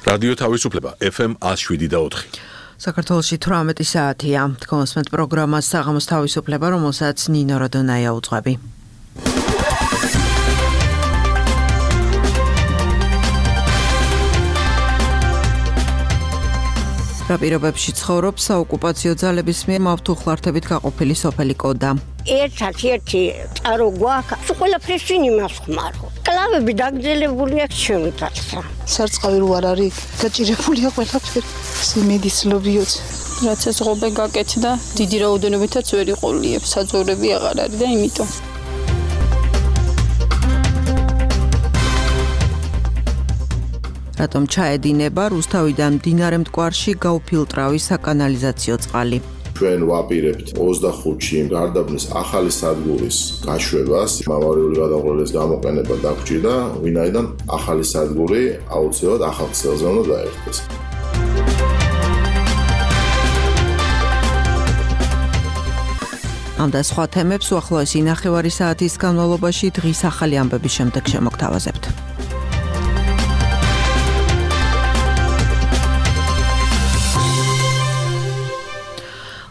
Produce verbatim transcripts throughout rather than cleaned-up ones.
რადიო თავისუფლება ეფ ემ one oh seven და four. საქართველოში თვრამეტი საათია. კონსმენტ პროგრამას საღამოს თავისუფლება, რომელსაც ნინო როდონაია უძღვები. რა პირობებში ცხოვრობს საოკუპაციო ძალების მიერ მავთუხლართებით გაყოფილი სოფელი კოდა. ერთ-ერთი წარო გვაქვს, ყველაფერს იმას ხმარო. კლავები დაგძელებული აქვს ჩემი თვალსა. სარწყავი რო არ არის, გაჭირებულია ყველაფერი. სიმედიცლობიოც. რაც ეს ღობე გაკეთდა, დიდი რაოდენობითაც ვერ იყოლიებ, საძოვრები აღარ არის და იმიტომ. რატომ ჩაედინება რუსთავიდან მდინარე მტკვარში გაუფილტრავი საკანალიზაციო წყალი? ჩვენ ვაპირებთ ოცდახუთში გარდაბნის ახალი სადგურის გაშვებას, მამარიული გადაყოლების გამოყენება დაგჭირდა, ვინაიდან ახალი სადგური აუცილებლად ახალ ქსელზე უნდა დაერქოს. ამ და სხვა თემებს უახლოესი ნახევარი საათის განმავლობაში დღის ახალი ამბების შემდეგ შემოგთავაზებთ.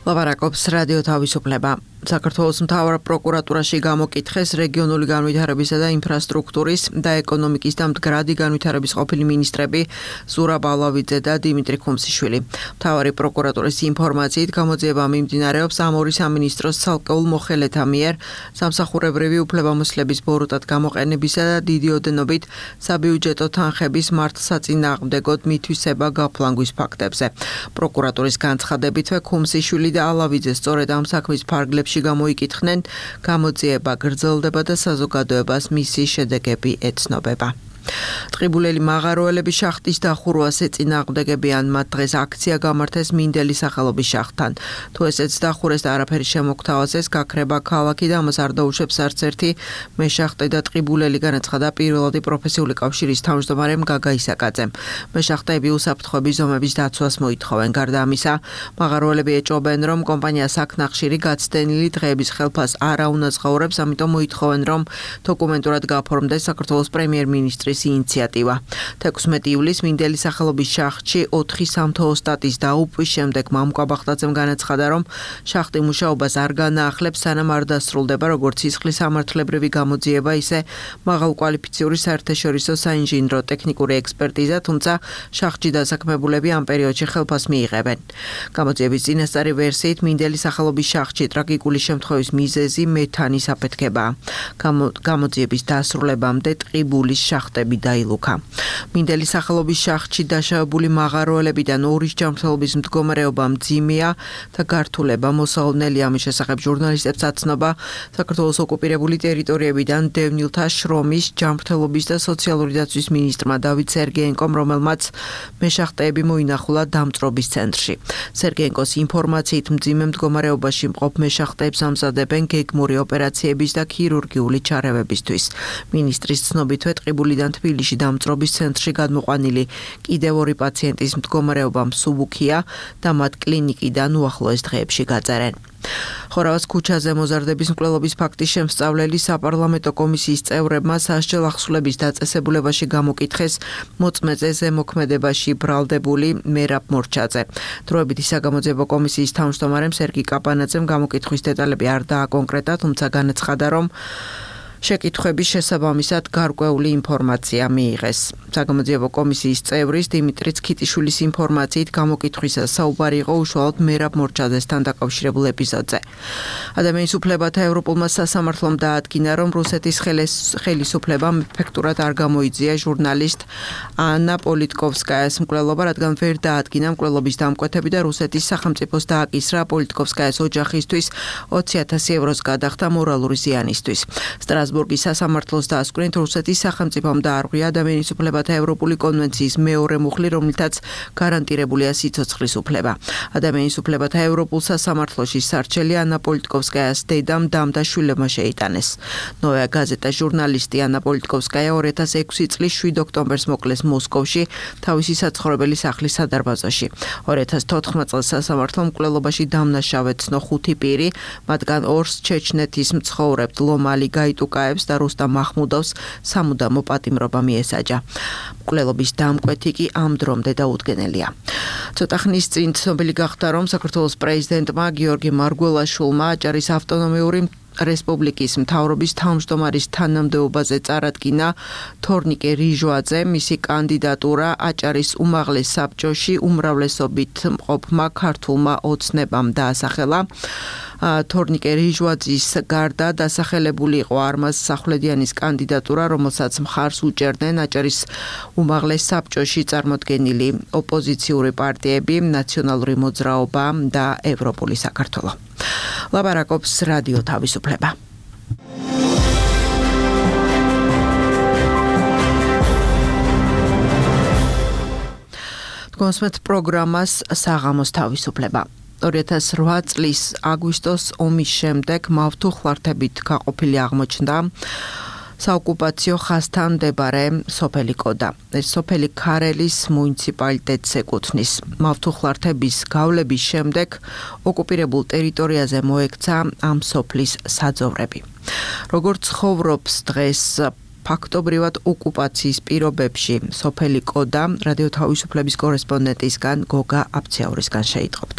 ლაპარაკობს რადიო თავისუფლება. საქართველოს მთავარ პროკურატურაში გამოკითხეს რეგიონული განვითარებისა და ინფრასტრუქტურის და ეკონომიკის და მდგრადი განვითარების ყოფილი მინისტრები ზურაბ ალავიძე და დიმიტრი ხუმსიშვილი. მთავარი პროკურატურის ინფორმაციით გამოძიება მიმდინარეობს ამ ორი სამინისტროს ცალკეულ მოხელეთა მიერ სამსახურებრივი უფლებამოსილების ბოროტად გამოყენებისა და დიდი ოდენობით საბიუჯეტო თანხების მართლსაწინააღმდეგოდ მითვისება გაფლანგვის ფაქტებზე. პროკურატურის განცხადებითვე ხუმსიშვილი და ალავიძე სწორედ ამ საქმის ფარგლებში გამოიკითხნენ, გამოძიება გრძელდება და საზოგადოებას მისი შედეგები ეცნობება. ტყიბულელი მაღაროელების შახტის დახურვას ეწინააღმდეგებიან, მათ დღეს აქცია გამართეს მინდელის სახელობის შახტთან. თუ ესეც დახურეს და არაფერი შემოგთავაზეს, გაქრება ქალაქი და ამას არ დაუშვებს არც ერთი მეშახტე და ტყიბულელი, განაცხადა პირველადი პროფესიული კავშირის თავმჯდომარემ გაგა ისაკაძემ. მეშახტეები უსაფრთხოების ზომების დაცვას მოითხოვენ. გარდა ამისა, მაღაროელები ეჭობენ, რომ კომპანია საქნახშირი გაცდენილი დღეების ხელფას არ აუნაზღაურებს, ამიტომ მოითხოვენ, რომ დოკუმენტურად გაფორმდეს საქართველოს პრემიერ-მინისტრის ინიციატივა. თექვსმეტი ივლისს მინდელის სახელობის შახტში ოთხი სამთო ოსტატის დაუპვის შემდეგ მამუკა ბახტაძემ განაცხადა, რომ შახტი მუშაობას არ განაახლებს, სანამ არ დასრულდება როგორც სისხლის სამართლებრივი გამოძიება, ისე მაღალკვალიფიციური საერთაშორისო საინჟინრო ტექნიკური ექსპერტიზა, თუმცა შახტში დასაქმებულები ამ პერიოდში ხელფას მიიღებენ. გამოძიების წინასწარი ვერსიით მინდელის სახელობის შახტში ტრაგიკული შემთხვევის მიზეზი მეთანის აფეთქებაა. გამოძიების დასრულებამდე ტყიბულის შახტები დაილუქა. მინდელის სახელობის შახტში დაშავებული მაღაროელებიდან ორის ჯანმრთელობის მდგომარეობა მძიმეა და გართულება მოსალოდნელი. ამის შესახებ ჟურნალისტებს აცნობა საქართველოს ოკუპირებული ტერიტორიებიდან დევნილთა შრომის, ჯანმრთელობის და სოციალური დაცვის მინისტრმა დავით სერგეენკომ, რომელმაც მეშახტეები მოინახულა დამწრობის ცენტრში. სერგეენკოს ინფორმაციით მძიმე მდგომარეობაში მყოფ მეშახტეებს ამზადებენ გეგმური ოპერაციების და ქირურგიული ჩარევებისთვის. მინისტრის ცნობითვე ტყიბულიდან თბილისში დამწრობის ცენტრში გადმოყვანილი კიდევ ორი პაციენტის მდგომარეობა მსუბუქია და მათ კლინიკიდან უახლოეს დღეებში გაწერენ. ხორავას ქუჩაზე მოზარდების მკვლელობის ფაქტის შემსწავლელი საპარლამენტო კომისიის წევრებმა სასჯელ ახსულების დაწესებულებაში გამოკითხეს მოწმეზე ზემოქმედებაში ბრალდებული მერაბ მორჩაძე. დროებითი საგამოძიებო კომისიის თავმჯდომარემ სერგი კაპანაძემ გამოკითხვის დეტალები არ დააკონკრეტა, თუმცა განაცხადა, რომ შეკითხვების შესაბამისად გარკვეული ინფორმაცია მიიღეს. საგამოძიებო კომისიის წევრის დიმიტრი ცქიტიშვილის ინფორმაციით გამოკითხვისას საუბარი იყო უშუალოდ მერაბ მორჩაძესთან დაკავშირებულ ეპიზოდზე. ადამიანის უფლებათა ევროპულმა სასამართლომ დაადგინა, რომ რუსეთის ხელისუფლებამ ეფექტურად არ გამოიძია ჟურნალისტ ანა პოლიტკოვსკაიას მკვლელობა, რადგან ვერ დაადგინა მკვლელობის დამკვეთები და რუსეთის სახელმწიფოს დააკისრა პოლიტკოვსკაიას ოჯახისთვის ოცი ათასი ევროს გადახდა მორალური ზიანისთვის. სტრასბურგის სასამართლოს დასკვნით რუსეთის სახელმწიფომ დაარღვია ადამიანის უფლებათა ევროპული კონვენციის მეორე მუხლი, რომლითაც გარანტირებულია სიცოცხლის უფლება. ადამიანის უფლებათა ევროპულ სასამართლოში სარჩელი ანა პოლიტკოვსკაიას დედამ დამ და შვილებმა შეიტანეს. ნოია გაზეტა ჟურნალისტი ანა პოლიტკოვსკაია ორი ათას ექვსი წლის შვიდ ოქტომბერს მოკლეს მოსკოვში თავისი საცხოვრებელი სახლის სადარბაზოში. ორი ათას თოთხმეტ წელს სასამართლომ მკვლელობაში დამნაშავედ ცნო ხუთი პირი, მათგან ორს ჩეჩნეთის მცხოვრებთ ლომალი გაიტუკა ტოკაევს და რუსტამ მაჰმუდოვს სამუდამო პატიმრობა მიესაჯა. მკვლელობის დამკვეთი კი ამ დრომდე დაუდგენელია. ცოტა ხნის წინ ცნობილი გახდა, რომ საქართველოს პრეზიდენტმა გიორგი მარგველაშვილმა აჭარის ავტონომიური რესპუბლიკის მთავრობის თავმჯდომარის თანამდებობაზე წარადგინა თორნიკე რიჟვაძე, მისი კანდიდატურა აჭარის უმაღლეს საბჭოში უმრავლესობით მყოფმა ქართულმა ოცნებამ დაასახელა. თორნიკე რიჟვაძის გარდა დასახელებული იყო არმაზ სახვლედიანის კანდიდატურა, რომელსაც მხარს უჭერდნენ აჭარის უმაღლეს საბჭოში წარმოდგენილი ოპოზიციური პარტიები, ნაციონალური მოძრაობა და ევროპული საქართველო. ლაპარაკობს რადიო თავისუფლება. გონსმეთ პროგრამას საღამოს თავისუფლება. ორი ათას რვა წლის აგვისტოს ომის შემდეგ მავთუხლართებით გაყოფილი აღმოჩნდა საოკუპაციო ხაზთან მდებარე სოფელი კოდა. ეს სოფელი ქარელის მუნიციპალიტეტს ეკუთვნის. მავთუხლართების გავლების შემდეგ ოკუპირებულ ტერიტორიაზე მოექცა ამ სოფლის საძოვრები. როგორც ცხოვრობს დღეს ფაქტობრივად ოკუპაციის პირობებში სოფელი კოდა, რადიო თავისუფლების კორესპონდენტისგან გოგა აფციაურისგან შეიტყობთ.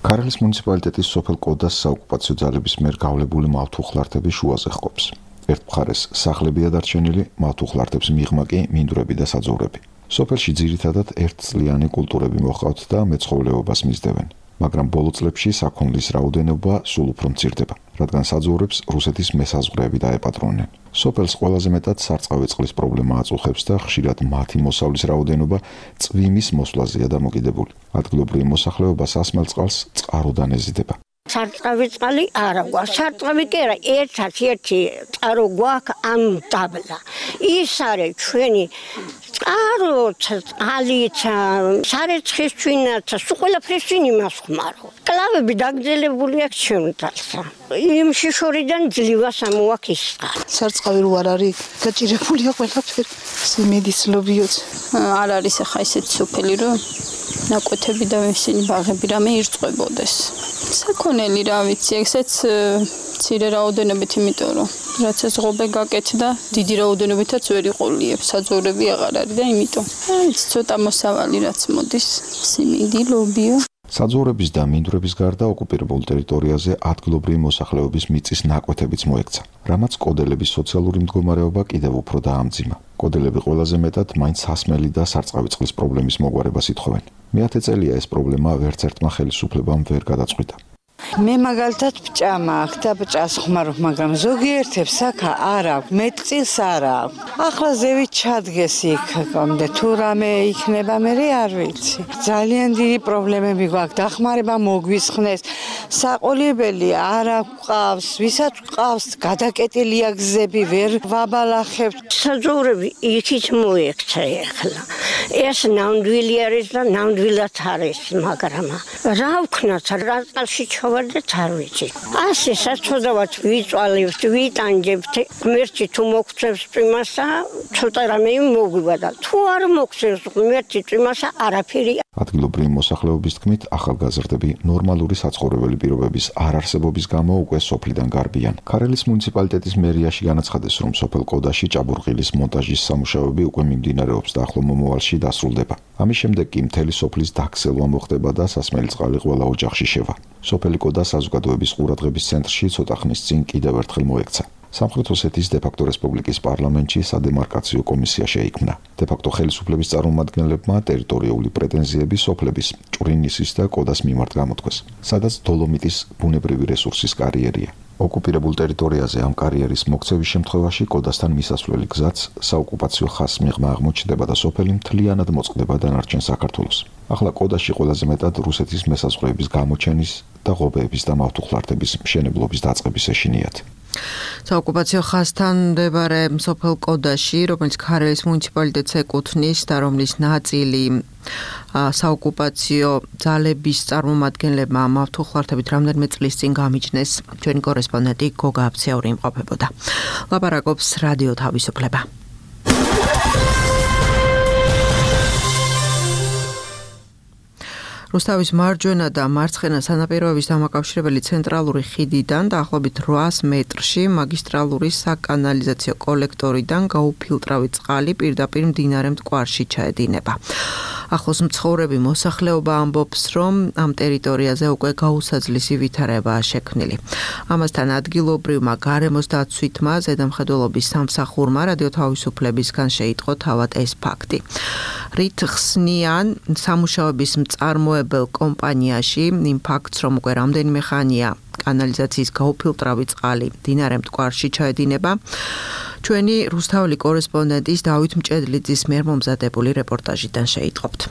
ქარელის მუნიციპალიტეტის სოფელ კოდას საოკუპაციო ძალების მიერ გავლებული მავთუხლართები შუაზე ჰყოფს. ერთ მხარეს სახლებია დარჩენილი, მავთუხლართებს მიღმა კი მინდვრები და საძოვრები. სოფელში ძირითადად ერთწლიანი კულტურები მოჰყავთ და მეცხოველეობას მისდევენ. მაგრამ ბოლო წლებში საქონლის რაოდენობა სულ უფრო მცირდება, რადგან საძოვრებს რუსეთის მესაზღვრეები დაეპატრონნენ. სოფელს ყველაზე მეტად სარწყავი წყლის პრობლემა აწუხებს და ხშირად მათი მოსავლის რაოდენობა წვიმის მოსვლაზეა დამოკიდებული. ადგილობრივი მოსახლეობა სასმელ წყალს წყაროდან ეზიდება. სარწყავი წყალი არა გვაქვს. სარწყავი კი არა, ერთად ერთი წყარო გვაქვს ამ დაბლა. ის არის ჩვენი წყარო, წყალიც, სარეცხის ჩვენაც, სულ ყველაფრის ჩვენ იმას ხმარო. კლავები დაგძელებული აქვს ჩემთალსა. იმ შიშორიდან ძლივას ამოაქვს ის წყალი. სარწყავი რო არ არის, გაჭირებულია ყველაფერი. სიმედიცლობიოც. არ არის ახლა ისეთი სოფელი, რომ ნაკვეთები და ისინი ბაღები რამე ირწყვებოდეს. საქონელი რა ვიცი, ესეც მცირე რაოდენობით, იმიტომ რომ რაც ეს ღობე გაკეთდა, დიდი რაოდენობითაც ვერ იყოლიებ, საძოვრები აღარ არის და იმიტომ. აი, ცოტა მოსავალი რაც მოდის, სიმინდი, ლობიო. საძოვრების და მინდვრების გარდა ოკუპირებულ ტერიტორიაზე ადგილობრივი მოსახლეობის მიწის ნაკვეთებიც მოექცა, რამაც კოდელების სოციალური მდგომარეობა კიდევ უფრო დაამძიმა. კოდელები ყველაზე მეტად მაინც სასმელი და სარწყავი წყლის პრობლემის მოგვარებას ითხოვენ. მეათე წელია ეს პრობლემა ვერც ერთმა ხელისუფლებამ ვერ გადაწყვიტა. მე მაგალითად ბჭამა აქვს და ბჭას ხმარობ, მაგრამ ზოგიერთებს აქა არ აქვს, მეტწილს არ აქვს. ახლა ზევით ჩადგეს იქ, გამდე თუ რამე იქნება, მე არ ვიცი. ძალიან დიდი პრობლემები გვაქვს, დახმარება მოგვისხნეს. საყოლიებელი არ აქვს, ვისაც ყავს, გადაკეტილია გზები, ვერ ვაბალახებთ. საძოვრები იქით მოექცა ახლა. ეს ნამდვილი არის და ნამდვილად არის, მაგრამ რა ვქნათ, რა წყალში ჩავარდეთ არ ვიცი. ასე საწოდავად ვიწვალებთ, ვიტანჯებთ, ღმერთი თუ მოგწევს წვიმასა, ცოტა რამე მოგვიბადა. თუ არ მოგწევს ღმერთი წვიმასა, არაფერი. ადგილობრივი მოსახლეობის თქმით, ახალგაზრდები ნორმალური საცხოვრებელი პირობების არ არსებობის გამო უკვე სოფლიდან გარბიან. ქარელის მუნიციპალიტეტის მერიაში განაცხადეს, რომ სოფელ კოდაში ჭაბურღილის მონტაჟის სამუშაოები უკვე მიმდინარეობს და ახლო მომავალში დასრულდება. ამის შემდეგ კი მთელი სოფლის დაქცევა მოხდება და სასმელი წყალი ყველა ოჯახში შევა. სოფელი კოდა საზოგადოების ყურადღების ცენტრში ცოტა ხნის წინ კიდევ ერთხელ მოექცა. სამხრეთ ოსეთის დე-ფაქტო რესპუბლიკის პარლამენტში სადემარკაციო კომისია შეიქმნა. დე-ფაქტო ხელისუფლების წარმომადგენლებმა ტერიტორიული პრეტენზიები სოფლების ჭვრინისის და კოდას მიმართ გამოთქვეს, სადაც დოლომიტის ბუნებრივი რესურსის კარიერია. ოკუპირებულ ტერიტორიაზე ამ კარიერის მოქცევის შემთხვევაში კოდასთან მისასვლელი გზაც საოკუპაციო ხაზს მიღმა აღმოჩნდება და სოფელი მთლიანად მოწყდება დანარჩენ საქართველოს. ახლა კოდაში ყველაზე მეტად რუსეთის მესაზღვრეების გამოჩენის და ღობეების და მავთუხლართების მშენებლობის დაწყების ეშინიათ. საოკუპაციო ხაზთან მდებარე სოფელ კოდაში, რომელიც ქარელის მუნიციპალიტეტს ეკუთვნის და რომლის ნაწილი საოკუპაციო ძალების წარმომადგენლებმა მავთუხლართებით რამდენიმე წლის წინ გამიჯნეს, ჩვენი კორესპონდენტი გოგა აფციაური იმყოფებოდა. ლაპარაკობს რადიო თავისუფლება. რუსთავის მარჯვენა და მარცხენა სანაპიროების დამაკავშირებელი ცენტრალური ხიდიდან დაახლოებით ორი მეტრში მაგისტრალური საკანალიზაციო კოლექტორიდან გაუფილტრავი წყალი პირდაპირ მდინარე მტკვარში ჩაედინება. ახლოს მცხოვრები მოსახლეობა ამბობს, რომ ამ ტერიტორიაზე უკვე გაუსაძლისი ვითარებაა შექმნილი. ამასთან ადგილობრივმა გარემოს დაცვითმა ზედამხედველობის სამსახურმა რადიო თავისუფლებისგან შეიტყო თავად ეს ფაქტი. რით ხსნიან სამუშაოების მწარმოებელ კომპანიაში იმ ფაქტს, რომ უკვე რამდენიმე ხანია კანალიზაციის გაუფილტრავი წყალი მდინარე მტკვარში ჩაედინება. ჩვენი რუსთაველი კორესპონდენტის დავით მჭედლიძის მიერ მომზადებული რეპორტაჟიდან შეიტყობთ.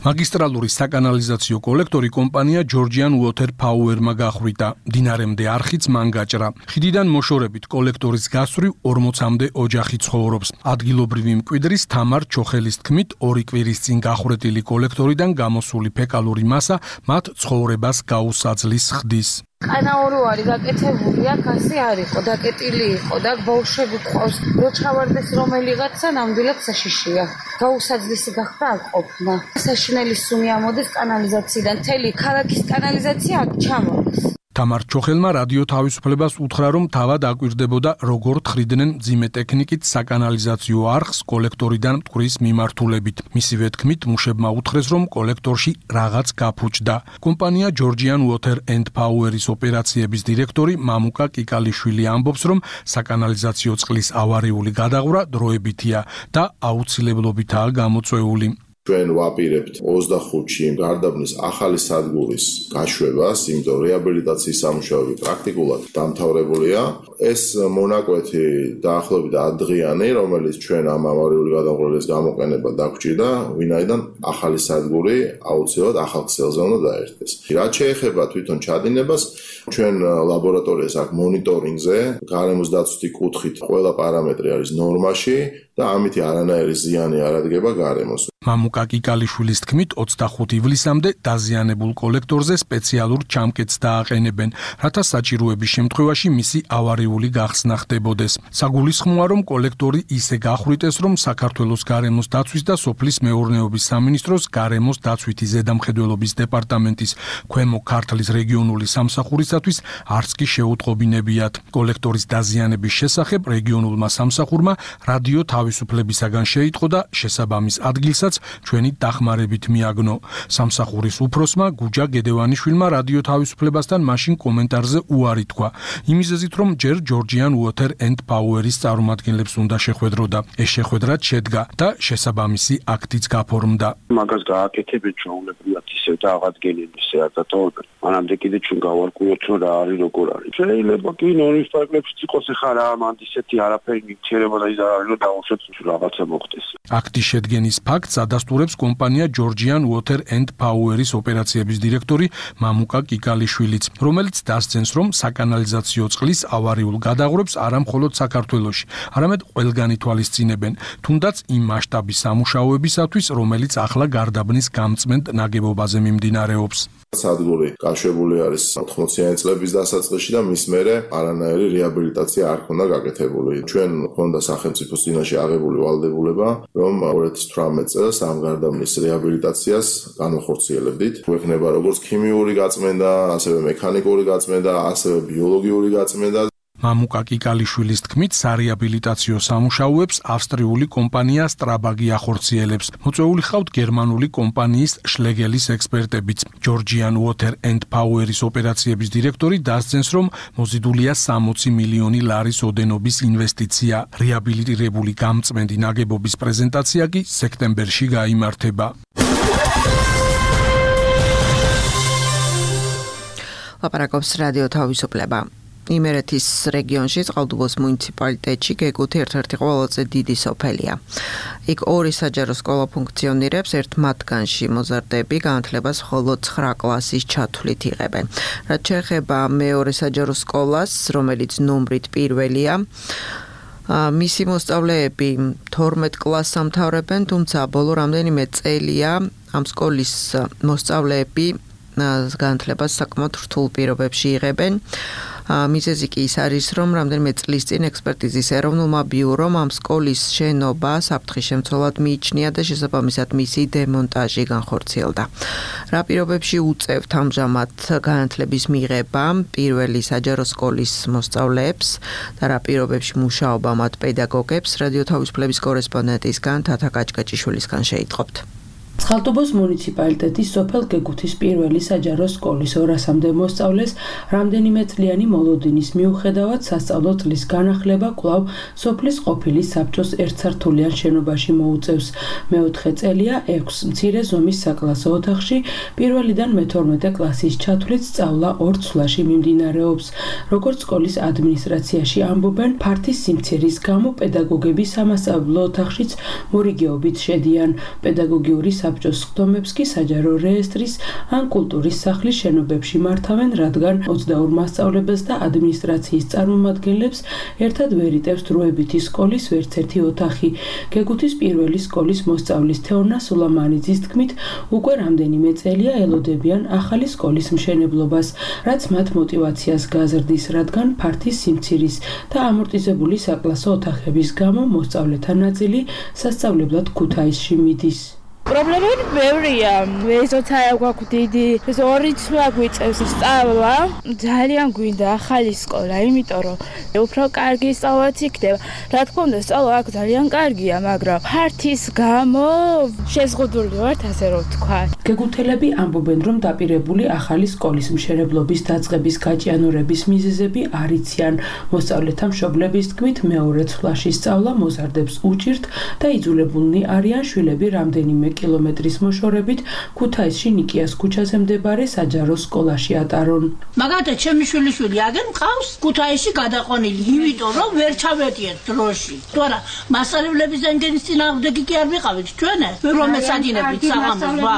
მაგისტრალური საკანალიზაციო კოლექტორი კომპანია Georgian Water Power-მა გახვიდა. მდინარემდე არხიც მან გაჭრა. ხიდიდან მოშორებით კოლექტორის გასწვრივ ორმოცამდე ოჯახი ცხოვრობს. ადგილობრივი მკვიდრის თამარ ჩოხელის თქმით, ორი კვირის წინ გახვრეტილი კოლექტორიდან გამოსული ფეკალური მასა მათ ცხოვრებას გაუსაძლის ხდის. კანაური ვარი გაკეთებული აქ ასე არ იყო, დაკეტილი იყო და ბავშვები ყავს. რო ჩავარდეს რომელიღაცა ნამდვილად საშიშია. გაუსაძლისი გახდა აქ ყოფნა. საშინელი სუნი ამოდის კანალიზაციიდან, მთელი ქალაქის კანალიზაცია აქ ჩამოდის. თამარ ჩოხელმა რადიო თავისუფლებას უთხრა, რომ თავად აკვირდებოდა, როგორ თხრიდნენ მძიმე ტექნიკით საკანალიზაციო არხს კოლექტორიდან მტკვრის მიმართულებით. მისივე თქმით, მუშებმა უთხრეს, რომ კოლექტორში რაღაც გაფუჭდა. კომპანია Georgian Water and Power-ის ოპერაციების დირექტორი მამუკა კიკალიშვილი ამბობს, რომ საკანალიზაციო წყლის ავარიული გადაღვრა დროებითია და აუცილებლობითაა გამოწვეული. ჩვენ ვაპირებთ ოცდახუთში გარდაბნის ახალი სადგურის გაშვებას, იმიტომ რეაბილიტაციის სამუშაოები პრაქტიკულად დამთავრებულია. ეს მონაკვეთი დაახლოებით ათდღიანი, რომელიც ჩვენ ამ ავარიული გადაღვრილის გამოყენება დაგვჭირდა, ვინაიდან ახალი სადგური აუცილებლად ახალ ქსელზე უნდა დაერთდეს. რაც შეეხება თვითონ ჩადინებას, ჩვენ ლაბორატორიას აქ მონიტორინგზე, გარემოს დაცვითი კუთხით ყველა პარამეტრი არის ნორმაში და ამით არანაირი ზიანი არ ადგება გარემოს. მამუკა კიკალიშვილის თქმით, ოცდახუთი ივლისამდე დაზიანებულ კოლექტორზე სპეციალურ ჩამკეტს დააყენებენ, რათა საჭიროების შემთხვევაში მისი ავარიული გახსნა ხდებოდეს. საგულისხმოა, რომ კოლექტორი ისე გახვრიტეს, რომ საქართველოს გარემოს დაცვის და სოფლის მეურნეობის სამინისტროს გარემოს დაცვითი ზედამხედველობის დეპარტამენტის ქვემო ქართლის რეგიონული სამსახურისათვის არც კი შეუტყობინებიათ. კოლექტორის დაზიანების შესახებ რეგიონულმა სამსახურმა რადიო თავისუფლებისაგან შეიტყო და შესაბამის ადგილსაც ჩვენი დახმარებით მიაგნო. სამსახურის უფროსმა გუჯა გედევანიშვილმა რადიო თავისუფლებასთან მაშინ კომენტარზე უარი თქვა. იმიზეზით, რომ ჯერ Georgian Water and Power-ის წარმომადგენლებს უნდა შეხვედროდა. ეს შეხვედრაც შედგა და შესაბამისი აქტიც გაფორმდა. მაგას გააკეთებენ ჩვეულებრივად ისევ და აღადგენენ ისე აწატოვებენ. მანამდე კიდე ჩვენ გავარკვიოთ, რომ რა არის, როგორ არის. შეიძლება კი ნორმის პარკლებში იყოს ხა რა, მანდ ისეთი არაფერი მიქცერება და ის არ არის, რომ დავუშვათ რაღაცა მოხდეს. აქტის შედგენის ფაქტს ადასტურებს კომპანია Georgian Water and Power-ის ოპერაციების დირექტორი მამუკა კიკალიშვილიც, რომელიც დასცენს, რომ საკანალიზაციო წყლის ავარიულ გადაღვრებს არა მხოლოდ საქართველოში, არამედ ყველგან ითვალისწინებენ, თუნდაც იმ მასშტაბის სამუშაოებისათვის, რომელიც ახლა გარდაბნის გამწმენდ ნაგებობაზე მიმდინარეობს. სადგური გაშვებული არის ოთხმოციანი წლების დასაწყისში და მის მერე არანაირი რეაბილიტაცია არ ქონდა გაკეთებული. ჩვენ ქონდა სახელმწიფოს წინაშე აღებული ვალდებულება, რომ ორი ათას თვრამეტ წელს ამ გარდაბნის რეაბილიტაციას განვახორციელებდით. გვექნება როგორც ქიმიური გაწმენდა, ასევე მექანიკური გაწმენდა, ასევე ბიოლოგიური გაწმენდა. მამუკა კიკალიშვილის თქმით, სარეაბილიტაციო სამუშაოებს ავსტრიული კომპანია Strabag ახორციელებს. მოწვეული ხავთ გერმანული კომპანიის Schlegelis ექსპერტებიც. Georgian Water and Power-ის ოპერაციების დირექტორი დასცენს, რომ მოზიდულია სამოცი მილიონი ლარის ოდენობის ინვესტიცია. რეაბილიტირებული გამწმენდი ნაგებობის პრეზენტაცია კი სექტემბერში გაიმართება. ლაპარაკობს რადიო თავისუფლება. იმერეთის რეგიონში წყალტუბოს მუნიციპალიტეტში გეგუთი ერთ-ერთი ყველაზე დიდი სოფელია. იქ ორი საჯარო სკოლა ფუნქციონირებს, ერთ მათგანში მოზარდები განათლებას მხოლოდ ცხრა კლასის ჩათვლით იღებენ. რაც შეეხება მეორე საჯარო სკოლას, რომელიც ნომრით პირველია, მისი მოსწავლეები თორმეტ კლასს ამთავრებენ, თუმცა ბოლო რამდენიმე წელია ამ სკოლის მოსწავლეები განათლებას საკმაოდ რთულ პირობებში იღებენ. მიზეზი კი ის არის, რომ რამდენიმე წლის წინ ექსპერტიზის ეროვნულმა ბიურომ ამ სკოლის შენობა საფრთხის შემცველად მიიჩნია და შესაბამისად მისი დემონტაჟი განხორციელდა. რა პირობებში უწევთ ამჟამად განათლების მიღება პირველი საჯარო სკოლის მოსწავლეებს და რა პირობებში მუშაობა მათ პედაგოგებს, რადიო თავისუფლების კორესპონდენტისგან თათა კაჭკაჭიშვილისგან შეიტყობთ. წყალტუბოს მუნიციპალიტეტის სოფელ გეგუთის პირველი საჯარო სკოლის ორასამდე მოსწავლეს რამდენიმე წლიანი მოლოდინის მიუხედავად სასწავლო წლის განახლება კვლავ სოფლის ყოფილი საბჭოს ერთსართულიან შენობაში მოუწევს. მეოთხე წელია ექვს მცირე ზომის საკლასო ოთახში პირველიდან მეთორმეტე კლასის ჩათვლით სწავლა ორ ცვლაში მიმდინარეობს. როგორც სკოლის ადმინისტრაციაში ამბობენ, ფართის სიმცირის გამო პედაგოგები სამასწავლებლო ოთახშიც მორიგეობით შედიან. პედაგოგიური საბჭოს ხდომებს კი საჯარო რეესტრის ან კულტურის სახლის შენობებში მართავენ, რადგან ოცდაორ მასწავლებელს და ადმინისტრაციის წარმომადგენლებს ერთად ვერ იტევს დროებითი სკოლის ვერცერთი ოთახი. გეგუთის პირველი სკოლის მოსწავლის თეონა სულამანიძის თქმით, უკვე რამდენიმე წელია ელოდებიან ახალი სკოლის მშენებლობას, რაც მათ მოტივაციას გაზრდის, რადგან ფართის სიმცირის და ამორტიზებული საკლასო ოთახების გამო მოსწავლეთა ნაწილი სასწავლებლად ქუთაისში მიდის. პრობლემები ბევრია. ეზოთა გვაქვს დიდი, ეს ორი ცვლა გვიწევს სწავლა. ძალიან გვინდა ახალი სკოლა, იმიტომ რომ უფრო კარგი სწავლაც იქნება. რა თქმა უნდა, სწავლა აქ ძალიან კარგია, მაგრამ ფართის გამო შეზღუდული ვართ, ასე რომ ვთქვა. გეგუთელები ამბობენ, რომ დაპირებული ახალი სკოლის მშენებლობის დაწყების გაჭიანურების მიზეზები არ იციან. მოსწავლეთა მშობლების თქმით, მეორე ცვლაში სწავლა მოზარდებს უჭირთ და იძულებულნი არიან შვილები რამდენიმე კილომეტრის მოშორებით ქუთაისში ნიკიას ქუჩაზე მდებარე საჯარო სკოლაში ატარონ. მაგალითად, ჩემი შვილიშვილი აგენ მყავს ქუთაისში გადაყვანილი, იმიტომ რომ ვერ ჩავედიეთ დროში. თორა მასწავლებლების ენგენის წინააღმდეგი კი არ ვიყავით ჩვენ, რომ ესადინებით საღამოს ვა.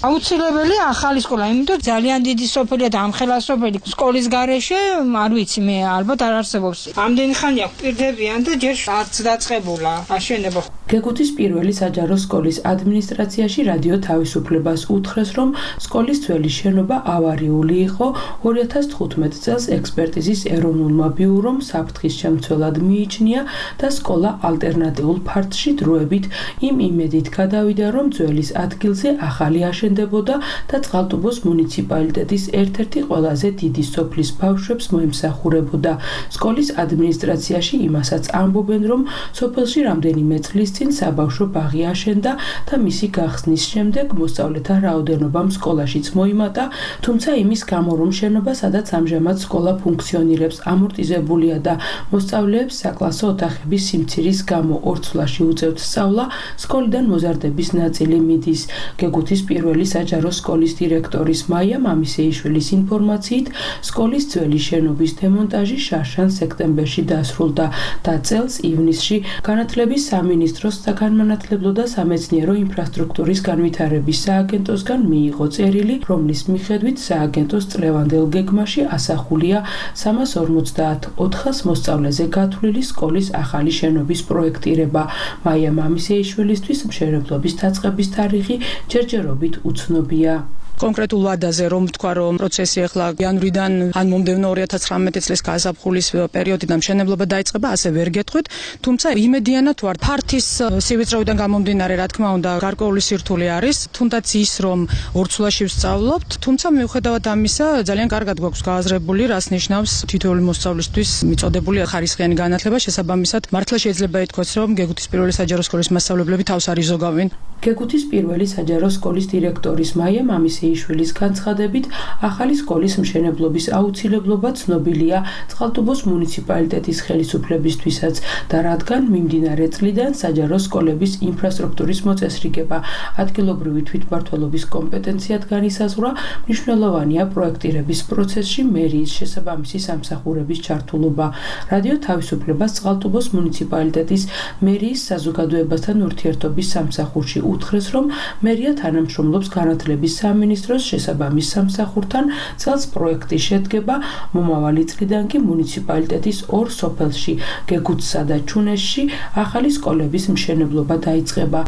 აუცილებელი ახალი სკოლა, იმიტომ ძალიან დიდი სოფელია და ამხელა სოფელი სკოლის გარეშე, არ ვიცი მე, ალბათ არ არსებობს. ამდენი ხანია პირდებიან და ჯერ არც დაწყებულა აშენება. გეგუთის პირველი საჯარო სკოლის ადმინისტრაციაში რადიო თავისუფლებას უთხრეს, რომ სკოლის ძველი შენობა ავარიული იყო. ორი ათას თხუთმეტ წელს ექსპერტიზის ეროვნულმა ბიურომ საფრთხის შემცველად მიიჩნია და სკოლა ალტერნატიულ ფართში დროებით იმ იმედით გადავიდა, რომ ძველის ადგილზე ახალი აშენდებოდა და წყალტუბოს მუნიციპალიტეტის ერთ-ერთი ყველაზე დიდი სოფლის ბავშვებს მოემსახურებოდა. სკოლის ადმინისტრაციაში იმასაც ამბობენ, რომ სოფელში რამდენიმე წლის წინ საბავშვო ბაღი აშენდა და მისი გახსნის შემდეგ მოსწავლეთა რაოდენობამ სკოლაშიც მოიმატა, თუმცა იმის გამო, რომ შენობა, სადაც ამჟამად სკოლა ფუნქციონირებს, ამორტიზებულია და მოსწავლეებს საკლასო ოთახების სიმცირის გამო ორ ცვლაში უწევთ სწავლა, სკოლიდან მოზარდების ნაწილი მიდის. გეგუთის პირველი საჯარო სკოლის დირექტორის მაია მამისეიშვილის ინფორმაციით, სკოლის ძველი შენობის დემონტაჟი შარშან სექტემბერში დასრულდა და წელს ივნისში განათლების სამინისტროს საგანმანათლებლო და სამეცნიერო ინფრასტრუქტურის განვითარების სააგენტოსგან მიიღო წერილი, რომლის მიხედვით სააგენტოს წლევანდელ გეგმაში ასახულია სამას ორმოცდაათ ოთხას მოსწავლეზე გათვლილი სკოლის ახალი შენობის პროექტირება. მაია მამისეიშვილისთვის მშენებლობის დაწყების თარიღი ჯერჯერობით უცნობია. კონკრეტულ ვადაზე რომ თქვა რომ პროცესი ახლა იანვრიდან ან მომდევნო ორი ათას ცხრამეტი წლის გაზაფხულის პერიოდიდან მშენებლობა დაიწყება, ასე ვერ გეტყვით, თუმცა იმედიანად ვარ ფართის სივიწროვიდან გამომდინარე, რა თქმა უნდა, გარკვეული სირთულე არის, თუნდაც ის რომ ორ ცვლაში ვსწავლობთ, თუმცა მიუხედავად ამისა ძალიან კარგად გვაქვს გააზრებული, რას ნიშნავს თითოეული მოსწავლისთვის მიწოდებული ხარისხიანი განათლება, შესაბამისად მართლა შეიძლება ითქვას, რომ გეგუთის პირველი საჯარო სკოლის მასწავლებლები თავს არ იზოგავენ. გეგუთის პირველი საჯარო სკოლის დირექტორის მაია მამისეიშვილის განცხადებით, ახალი სკოლის მშენებლობის აუცილებლობა ცნობილია წყალტუბოს მუნიციპალიტეტის ხელისუფლებისთვისაც და რადგან მიმდინარე წლიდან საჯარო სკოლების ინფრასტრუქტურის მოწესრიგება ადგილობრივი თვითმმართველობის კომპეტენციად განისაზღვრა, მნიშვნელოვანია პროექტირების პროცესში მერიის შესაბამისი სამსახურების ჩართულობა. რადიო თავისუფლებას წყალტუბოს მუნიციპალიტეტის მერიის საზოგადოებასთან ურთიერთობის სამსახურში უთხრეს, რომ მერია თანამშრომლობს განათლების სამინისტროს შესაბამის სამსახურთან, წელს პროექტი შედგება, მომავალი წლიდან კი მუნიციპალიტეტის ორ სოფელში, გეგუთსა და ჩუნესში ახალი სკოლების მშენებლობა დაიწყება.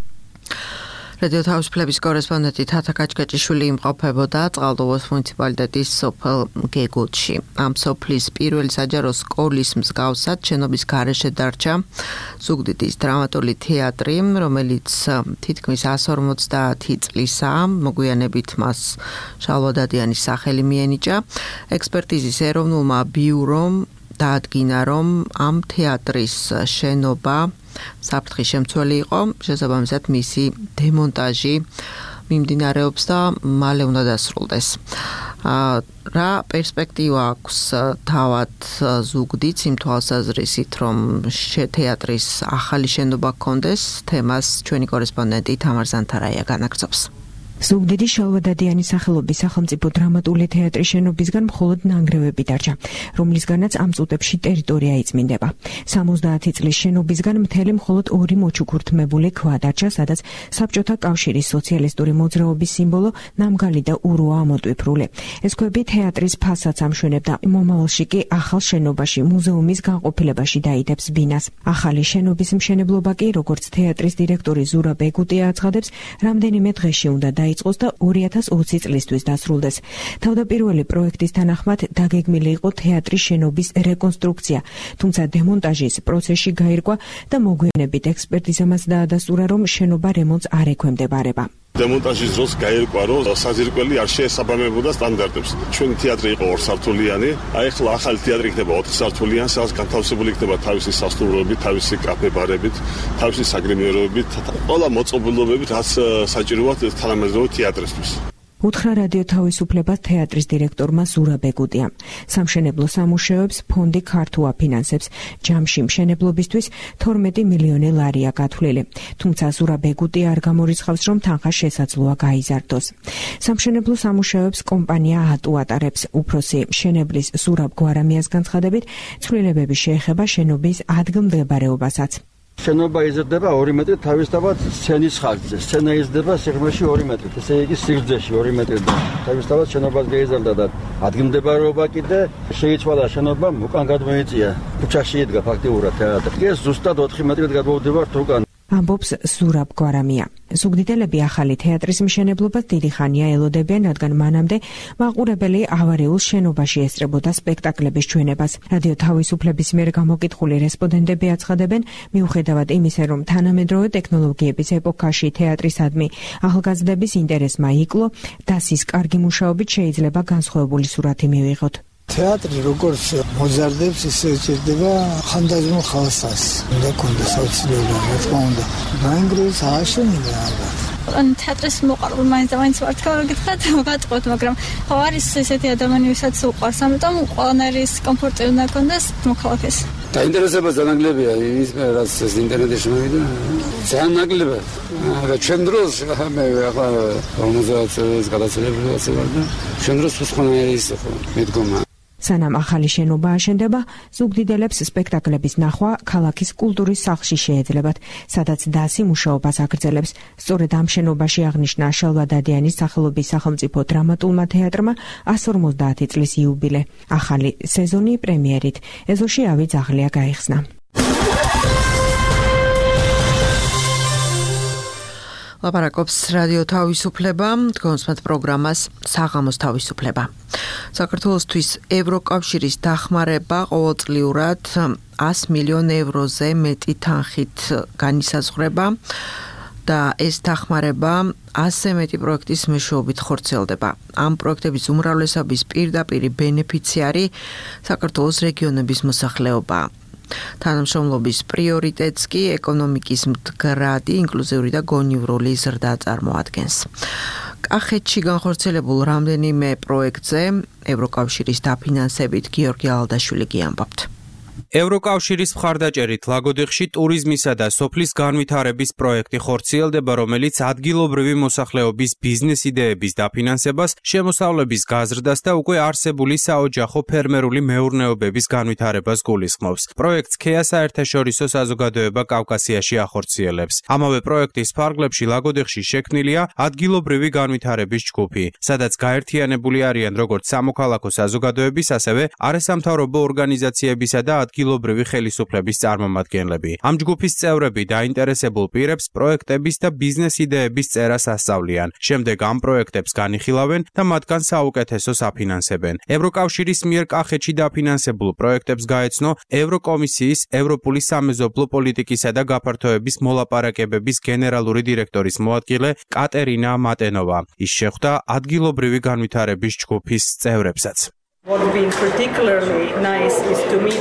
რადიო თავისუფლების კორესპონდენტი თათა კაჭკაჭიშვილი იმყოფებოდა წყალტუბოს მუნიციპალიტეტის სოფელ გეგუთში. ამ სოფლის პირველი საჯარო სკოლის მსგავსად შენობის გარეშე დარჩა ზუგდიდის დრამატული თეატრი, რომელიც თითქმის εκατს ორმოცდაათი წლისაა, მოგვიანებით მას შალვა დადიანის სახელი მიენიჭა. ექსპერტიზის ეროვნულმა ბიურომ დაადგინა, რომ ამ თეატრის შენობა საფრთხის შემცველი იყო, შესაბამისად მისი დემონტაჟი მიმდინარეობს და მალე უნდა დასრულდეს. რა პერსპექტივა აქვს თავად ზუგდიდს იმ თვალსაზრისით, რომ თეატრის ახალი შენობა ჰქონდეს, თემას ჩვენი კორესპონდენტი თამარ ზანთარაია განაგრძობს. ზუგდიდის შალვა დადიანის სახელობის სახელმწიფო დრამატული თეატრის შენობისგან მხოლოდ ნანგრევები დარჩა, რომლისგანაც ამ წუთებში ტერიტორია იწმინდება. სამოცდაათი წლის შენობისგან მთელი მხოლოდ ორი მოჩუქურთმებული ქვა დარჩა, სადაც საბჭოთა კავშირის სოციალისტური მოძრაობის სიმბოლო ნამგალი და უროა ამოტვიფრული. ეს ქვები თეატრის ფასადს ამშვენებდა, მომავალში კი ახალ შენობაში მუზეუმის განყოფილებაში დაიდებს ბინას. ახალი შენობის მშენებლობა კი, როგორც თეატრის დირექტორი ზურა ბეგუტია აცხადებს, რამდენიმე დღეში უნდა დაიწყოს და ორი ათას ოცი წლისთვის დასრულდეს. თავდაპირველი პროექტის თანახმად დაგეგმილი იყო თეატრის შენობის რეკონსტრუქცია, თუმცა დემონტაჟის პროცესში გაირკვა და მოგვიანებით ექსპერტიზამაც დაადასტურა, რომ შენობა რემონტს არ ექვემდებარება. დემონტაჟის დროს გაირკვა, რომ საძირკველი არ შეესაბამებოდა სტანდარტებს. ჩვენი თეატრი იყო ორსართულიანი, აი ახლა ახალი თეატრი იქნება ოთხსართულიანი, სადაც განთავსებული იქნება თავისი სასტუმროებით, თავისი კაფე-ბარებით, თავისი საგრიმიეროებით, ყველა მოწყობილობებით, რაც საჭიროა თანამედროვე თეატრისთვის. უთხრა რადიო თავისუფლებას თეატრის დირექტორმა ზურა ბეგუტია. სამშენებლო სამუშაოებს ფონდი ქართულ აფინანსებს, ჯამში მშენებლობისთვის თორმეტი მილიონი ლარია გათვლილი. თუმცა ზურა ბეგუტია არ გამორიცხავს, რომ თანხა შესაძლოა გაიზარდოს. სამშენებლო სამუშაოებს კომპანია ატუ ატარებს. უფროსი მშენებლის ზურაბ გვარამიას განცხადებით, ცვლილებები შეეხება შენობის ადგილმდებარეობასაც. შენობა იზრდება ორი მეტრი თავისთავად სცენის ხარჯზე. სცენა იზრდება სიღრმეში ორი მეტრი, ესე იგი სიგრძეში ორი მეტრი და თავისთავად შენობას გაიზარდა და ადგილმდებარეობა კიდე შეიცვალა შენობა უკან გადმოიწია. ქუჩაში იდგა ფაქტიურად თეატრი. ეს ზუსტად ოთხი მეტრით გადმოვდივართ უკან. ამბობს ზურაბ გვარამია. ზუგდიდელები ახალი თეატრის მშენებლობას დიდი ხანია ელოდებიან, რადგან მანამდე მაყურებელი ავარიულ შენობაში ესწრებოდა სპექტაკლების ჩვენებას. რადიო თავისუფლების მიერ გამოკითხული რესპონდენტები აცხადებენ, მიუხედავად იმისა, რომ თანამედროვე ტექნოლოგიების ეპოქაში თეატრისადმი ახალგაზრდების ინტერესმა იკლო, დასის კარგი მუშაობით შეიძლება განსხვავებული სურათი მივიღოთ. თეატრი როგორც მოზარდებს, ისე ჭირდება ხანდაზმულ ხალხს. უნდა კონდეს აუცილებლად, რა თქმა უნდა. ბანგროს აშენებდა ალბათ. ან თეატრის მოყარულ მაინც და მაინც ვარ, თქო, გითხრათ, ვატყოთ, მაგრამ ხო არის ესეთი ადამიანი, ვისაც უყვარს, ამიტომ ყველანაირი კომფორტი უნდა კონდეს მოქალაქეს. დაინტერესება ზანაგლებია ის რაც ეს ინტერნეტში მოვიდა. ძალიან ნაკლებია. და ჩვენ დროს მე ახლა ორმოცდაათი წელს გადაცილებული ვარ და ჩვენ დროს სხვანაირი ის ხო მედგომა. სანამ ახალი შენობა აშენდება, ზუგდიდელებს სპექტაკლების ნახვა ქალაქის კულტურის სახლში შეეძლებათ, სადაც დასი მუშაობას აგრძელებს. სწორედ ამ შენობაში აღნიშნა შალვა დადიანის სახელობის სახელმწიფო დრამატულმა თეატრმა εκατს ორმოცდაათი წლის იუბილე. ახალი სეზონი პრემიერით ეზოში ავი ძაღლია გაიხსნა. ლაპარაკობს რადიო თავისუფლება, კონსმეთ პროგრამას საღამოს თავისუფლება. საქართველოსთვის ევროკავშირის დახმარება ყოველწლიურად ას მილიონ ევროზე მეტი თანხით განისაზღვრება და ეს დახმარება ასზე მეტი პროექტის მეშვეობით ხორციელდება. ამ პროექტების უმრავლესობის პირდაპირი ბენეფიციარი საქართველოს რეგიონების მოსახლეობაა. თანამშრომლობის პრიორიტეტს კი ეკონომიკის მდგრადი, ინკლუზიური და გონივრული ზრდა წარმოადგენს. კახეთში განხორციელებულ რამდენიმე პროექტზე ევროკავშირის დაფინანსებით გიორგი ალდაშვილი გიამბობთ. ევროკავშირის მხარდაჭერით ლაგოდეხში ტურიზმისა და სოფლის განვითარების პროექტი ხორციელდება, რომელიც ადგილობრივი მოსახლეობის ბიზნეს იდეების დაფინანსებას, შემოსავლების გაზრდას და უკვე არსებული საოჯახო ფერმერული მეურნეობების განვითარებას გულისხმობს. პროექტს ქეა საერთაშორისო საზოგადოება კავკასიაში ახორციელებს. ამავე პროექტის ფარგლებში ლაგოდეხში შექმნილია ადგილობრივი განვითარების ჯგუფი, სადაც გაერთიანებული არიან როგორც სამოქალაქო საზოგადოების, ასევე არასამთავრობო ორგანიზაციებისა და ადგილობრივი ხელისუფლების წარმომადგენლები. ამ ჯგუფის წევრები დაინტერესებულ პირებს პროექტების და ბიზნეს იდეების წერას ასწავლიან. შემდეგ ამ პროექტებს განიხილავენ და მათგან საუკეთესოს აფინანსებენ. ევროკავშირის მიერ კახეთში დაფინანსებულ პროექტებს გაეცნო ევროკომისიის ევროპული სამეზობლო პოლიტიკისა და გაფართოების მოლაპარაკებების გენერალური დირექტორის მოადგილე კატერინა მატენოვა. ის შეხვდა ადგილობრივი განვითარების ჯგუფის წევრებსაც.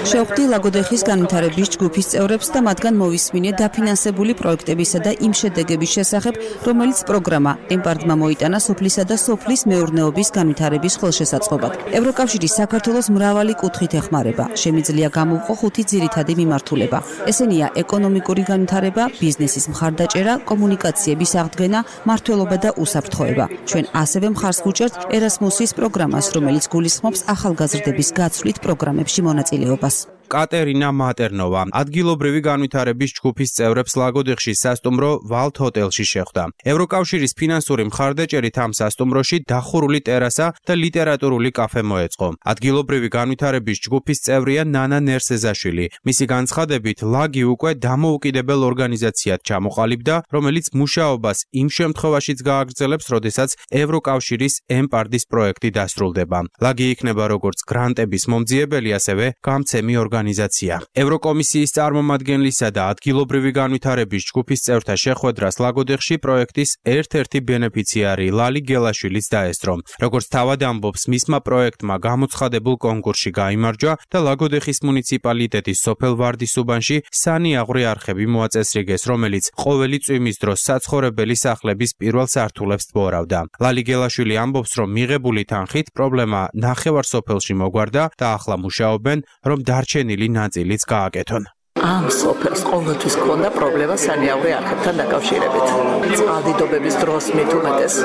შეხვდი ლაგოდეხის განვითარების ჯგუფის წევრებს და მათგან მოვისმინე დაფინანსებული პროექტებისა და იმ შედეგების შესახებ, რომელიც პროგრამა ემპარტმა მოიტანა სოფლისა და სოფლის მეურნეობის განვითარების ხელშესაწყობად. ევროკავშირის საქართველოს მრავალი კუთხით ეხმარება. შემიძლია გამოვყო ხუთი ძირითადი მიმართულება. ესენია ეკონომიკური განვითარება, ბიზნესის მხარდაჭერა, კომუნიკაციების აღდგენა, მმართველობა და უსაფრთხოება. ჩვენ ასევე მხარს ვუჭერთ ერასმუსის პროგრამას, რომელიც გულისხმობს ახალგაზრდების გაცვლით პროგრამებში მონაწილეობას. კატერინა მატერნოვა ადგილობრივი განვითარების ჯგუფის წევრებს ლაგოდეხში სასტუმრო ვალთ ჰოტელში შეხვდა. ევროკავშირის ფინანსური მხარდაჭერით ამ სასტუმროში დახურული ტერასა და ლიტერატურული კაფე მოეწყო. ადგილობრივი განვითარების ჯგუფის წევრია ნანა ნერსეზაშვილი. მისი განცხადებით, ლაგი უკვე დამოუკიდებელ ორგანიზაციად ჩამოყალიბდა, რომელიც მუშაობას იმ შემთხვევაშიც გააგრძელებს, როდესაც ევროკავშირის ემპარდის პროექტი დასრულდება. ლაგი იქნება როგორც გრანტების მომძიებელი, ასევე გამცემი ორგანიზაცია. ორგანიზაცია. ევროკომისიის წარმომადგენლისა და ადგილობრივი განვითარების ჯგუფის წევრთა შეხვედრას ლაგოდეხში პროექტის ერთ-ერთი ბენეფიციარი ლალი გელაშვილიც დაესწრო. როგორც თავად ამბობს, მისმა პროექტმა გამოცხადებულ კონკურსში გაიმარჯვა და ლაგოდეხის მუნიციპალიტეტის სოფელ ვარდისუბანში სანიაღვრე არხები მოაწესრიგეს, რომელიც ყოველი წვიმის დროს საცხოვრებელი სახლების პირველ სართულებს ტბორავდა. ლალი გელაშვილი ამბობს, რომ მიღებული თანხით პრობლემა ნახევარ სოფელში მოგვარდა და ახლა მუშაობენ, რომ დარჩენილი ნაწილიც გააკეთონ. ამ სოფელს ყოველთვის ჰქონდა პრობლემა სანიაღვრე არხებთან დაკავშირებით. წყალდიდობების დროს მით უმეტეს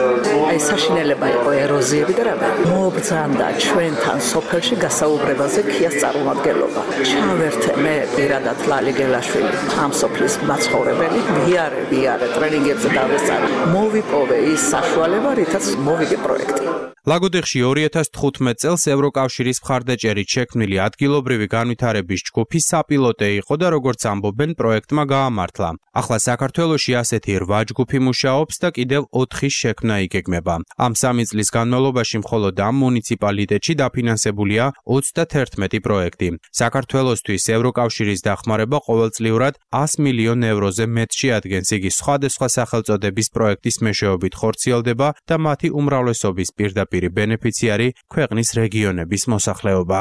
აი საშინელება იყო ეროზიები და რამე. მობრძანდა ჩვენთან სოფელში გასაუბრებაზე ქიას წარმომადგენლობა. ჩავერთე მე პირადად ლალი გელაშვილი ამ სოფლის მაცხოვრებელი, ვიარე ვიარე ტრენინგებზე დავესწარი. მოვიპოვე ის საშუალება, რითაც მოვიგე პროექტი. ლაგოდეხში ორი ათას თხუთმეტ წელს ევროკავშირის მხარდაჭერით შექმნილი ადგილობრივი განვითარების ჯგუფი საპილოტე იყო და როგორც ამბობენ, პროექტმა გაამართლა. ახლა საქართველოში ასეთი რვა ჯგუფი მუშაობს და კიდევ ოთხის შექმნა იგეგმება. ამ სამი წლის განმავლობაში მხოლოდ ამ მუნიციპალიტეტში დაფინანსებულია ოცდაათერთმეტი პროექტი. საქართველოსთვის ევროკავშირის დახმარება ყოველწლიურად ას მილიონ ევროზე მეტში ადგენს. იგი სხვადასხვა სახელწოდების პროექტის მეშვეობით ხორციელდება და მათი უმრავლესობის პირდაპირ ბენეფიციარი ქვეყნის რეგიონების მოსახლეობა.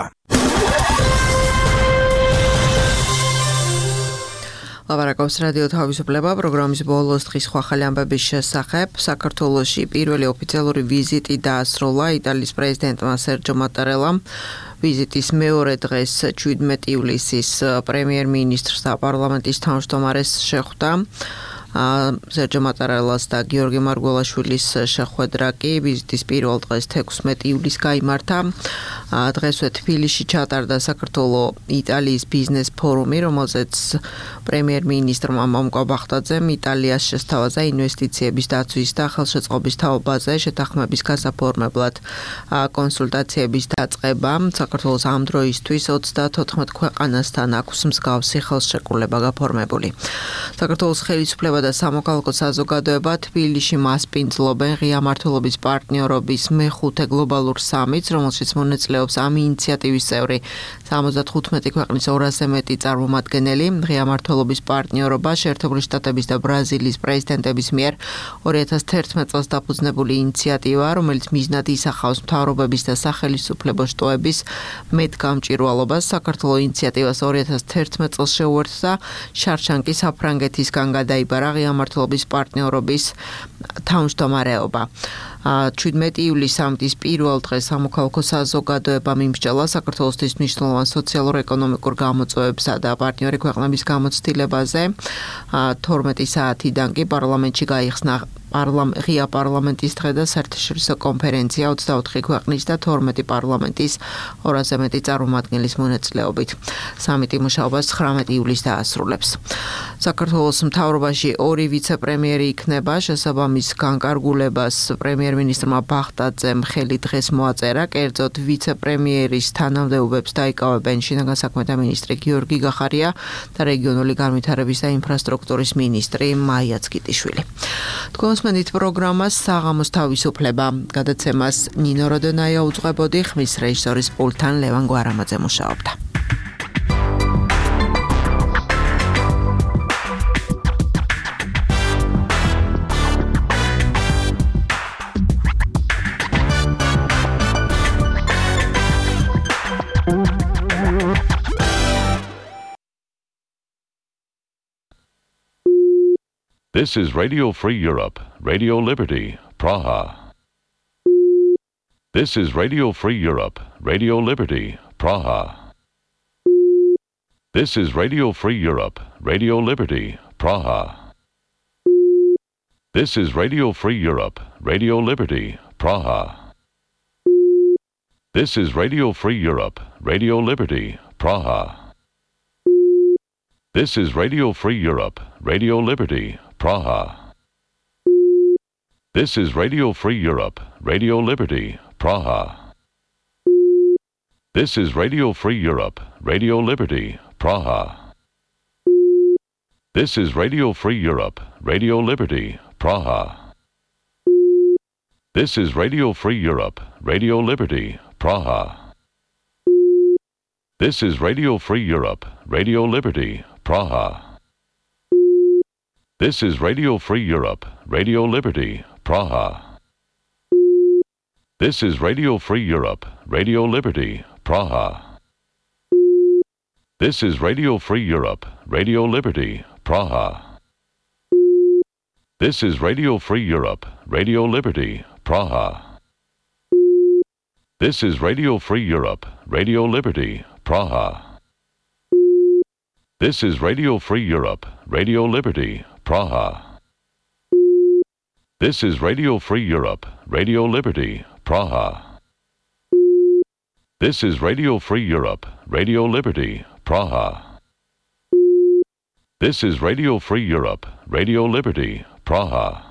ლაპარაკობს რადიო თავისუფლება პროგრამის ბოლოს დღის ხვალ ამბების შესახებ. საქართველოში პირველი ოფიციალური ვიზიტი დაასრულა იტალიის პრეზიდენტმა სერჯო მატარელამ. ვიზიტის მეორე დღეს შვიდმეტი ივლისის პრემიერ-მინისტრს და პარლამენტის თავმჯდომარეს შეხვდა. სერჯო მატარელას და გიორგი მარგველაშვილის შეხვედრა კი ვიზიტის პირველ დღეს თექვსმეტი ივლისს გაიმართა. დღესვე თბილისში ჩატარდა საქართველოს იტალიის ბიზნეს ფორუმი, რომელზეც პრემიერ-მინისტრმა მომკვა ბახტაძემ იტალიას შესთავაზა ინვესტიციების დაცვის და ხელშეწყობის თაობაზე შეთანხმების გასაფორმებლად კონსულტაციების დაწყება. საქართველოს ამ დროისთვის ოცდაათოთხმეტ ქვეყანასთან აქვს მსგავსი ხელშეკრულება გაფორმებული. საქართველოს ხელისუფლება და სამოქალაქო საზოგადოება თბილისში მასპინძლობენ ღია მმართველობის პარტნიორობის მეხუთე გლობალურ სამიტს, რომელშიც მონაწილეობს ამ ინიციატივის წევრი სამოცდათხუთმეტი ქვეყნის ორასზე მეტი წარმომადგენელი. ღია მმართველობის პარტნიორობა შეერთებული შტატების და ბრაზილიის პრეზიდენტების მიერ ორი ათას თერთმეტ წელს დაფუძნებული ინიციატივაა, რომელიც მიზნად ისახავს მთავრობების და სახელისუფლებო შტოების მეტგამჭირვალობას. საქართველოს ინიციატივას ორი ათას თერთმეტ წელს შეუერთდა შარშანკი საფრანგეთისგან გადაიბარა ღია მმართველობის პარტნიორობის თავმჯდომარეობა. შვიდმეტი ივლისს სამიტის პირველ დღეს სამოქალაქო საზოგადოებამ იმსჯელა საქართველოსთვის მნიშვნელოვან სოციალურ-ეკონომიკურ გამოწვევებსა და პარტნიორი ქვეყნების გამოცდილებაზე. თორმეტი საათიდან კი პარლამენტში გაიხსნა პარლამ ღია პარლამენტის დღე და საერთაშორისო კონფერენცია ოცდაოთხი ქვეყნის და თორმეტი პარლამენტის ორასზე მეტი წარმომადგენლის მონაწილეობით. სამიტი მუშაობას ცხრამეტი ივლისს დაასრულებს. საქართველოს მთავრობაში ორი ვიცე-პრემიერი იქნება, შესაბამის განკარგულებას პრემიერ-მინისტრმა ბაღდაძემ ხელი დღეს მოაწერა, კერძოდ ვიცე-პრემიერის თანამდებობებს დაიკავებენ შინაგან საქმეთა მინისტრი გიორგი გახარია და რეგიონული განვითარების და ინფრასტრუქტურის მინისტრი მაია ცგიტიშვილი. თქვენსმენით პროგრამას საღამოს თავისუფლება. გადაცემას ნინო როდონაია უძღვებოდი, ხმის რეჟისორის პულტთან ლევან გვარამაძე მუშაობდა. This is Radio Free Europe, Radio Liberty, Praha. This is Radio Free Europe, Radio Liberty, Praha. This is Radio Free Europe, Radio Liberty, Praha. This is Radio Free Europe, Radio Liberty, Praha. This is Radio Free Europe, Radio Liberty, Praha. This is Radio Free Europe, Radio Liberty, Praha. This is Radio Free Europe, Radio Liberty, Praha. This is Radio Free Europe, Radio Liberty, Praha. This is Radio Free Europe, Radio Liberty, Praha. This is Radio Free Europe, Radio Liberty, Praha. This is Radio Free Europe, Radio Liberty, Praha. This is Radio Free Europe, Radio Liberty, Praha. This is Radio Free Europe, Radio Liberty, Praha. This is Radio Free Europe, Radio Liberty, Praha. This is Radio Free Europe, Radio Liberty, Praha. This is Radio Free Europe, Radio Liberty, Praha. This is Radio Free Europe, Radio Liberty, Praha. This is Radio Free Europe, Radio Liberty, Praha. This is Radio Free Europe, Radio Liberty, Praha.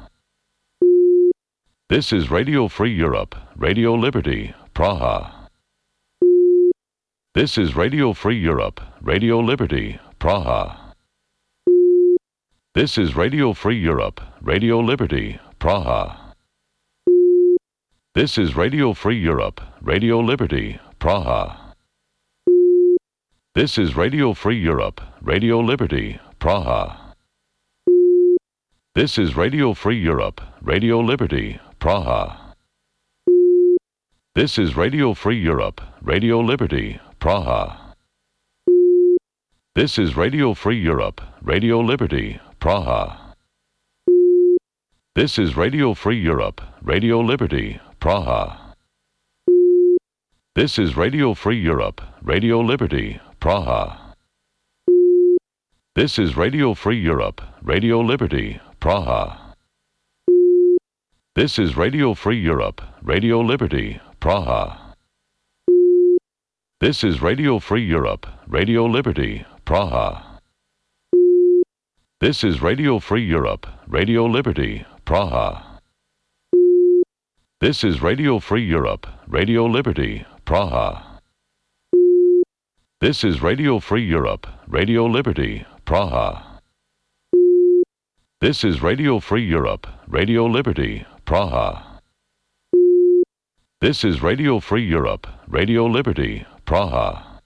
This is Radio Free Europe, Radio Liberty, Praha. This is Radio Free Europe, Radio Liberty, Praha. This is Radio Free Europe, Radio Liberty, Praha. This is Radio Free Europe, Radio Liberty, Praha. This is Radio Free Europe, Radio Liberty, Praha. This is Radio Free Europe, Radio Liberty, Praha. This is Radio Free Europe, Radio Liberty, Praha. This is Radio Free Europe, Radio Liberty, Praha. This is Radio Free Europe, Radio Liberty, Praha. This is Radio Free Europe, Radio Liberty, Praha. This is Radio Free Europe, Radio Liberty, Praha. This is Radio Free Europe, Radio Liberty, Praha. This is Radio Free Europe, Radio Liberty, Praha. This is Radio Free Europe, Radio Liberty, Praha. This is Radio Free Europe, Radio Liberty, Praha. This is Radio Free Europe, Radio Liberty, Praha. This is Radio Free Europe, Radio Liberty, Praha. This is Radio Free Europe, Radio Liberty, Praha. This is Radio Free Europe, Radio Liberty, Praha.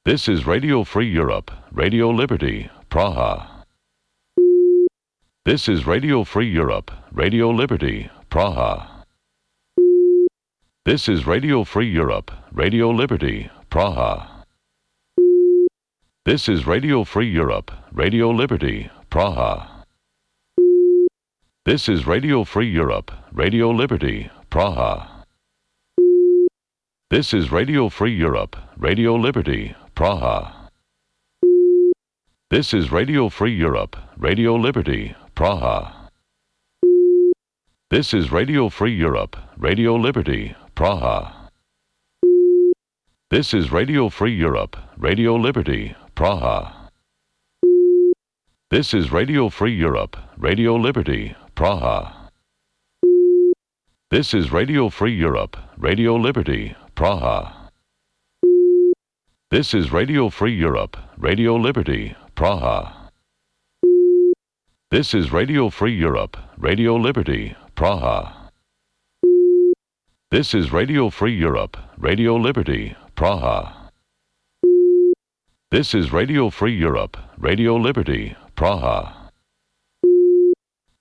This is Radio Free Europe, Radio Liberty, Praha. This is Radio Free Europe, Radio Liberty, Praha. This is Radio Free Europe, Radio Liberty, Praha. This is Radio Free Europe, Radio Liberty, Praha. This is Radio Free Europe, Radio Liberty, Praha. This is Radio Free Europe, Radio Liberty, Praha. This is Radio Free Europe, Radio Liberty, Praha. This is Radio Free Europe, Radio Liberty, Praha. This is Radio Free Europe, Radio Liberty, Praha. This is Radio Free Europe, Radio Liberty, Praha. This is Radio Free Europe, Radio Liberty, Praha. This is Radio Free Europe, Radio Liberty, Praha. This is Radio Free Europe, Radio Liberty, Praha. This is Radio Free Europe, Radio Liberty, Praha. This is Radio Free Europe, Radio Liberty, Praha.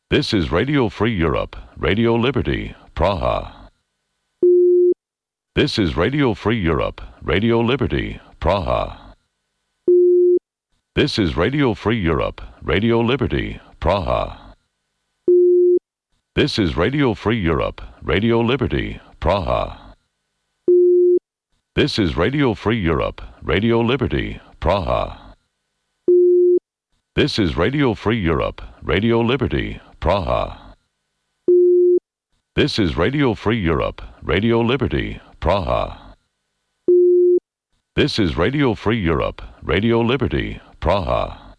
This is Radio Free Europe, Radio Liberty, Praha. This is Radio Free Europe, Radio Liberty, Praha. This is Radio Free Europe, Radio Liberty, Praha. This is Radio Free Europe, Radio Liberty, Praha. This is Radio Free Europe, Radio Liberty, Praha. This is Radio Free Europe, Radio Liberty, Praha. This is Radio Free Europe, Radio Liberty, Praha. This is Radio Free Europe, Radio Liberty, Praha.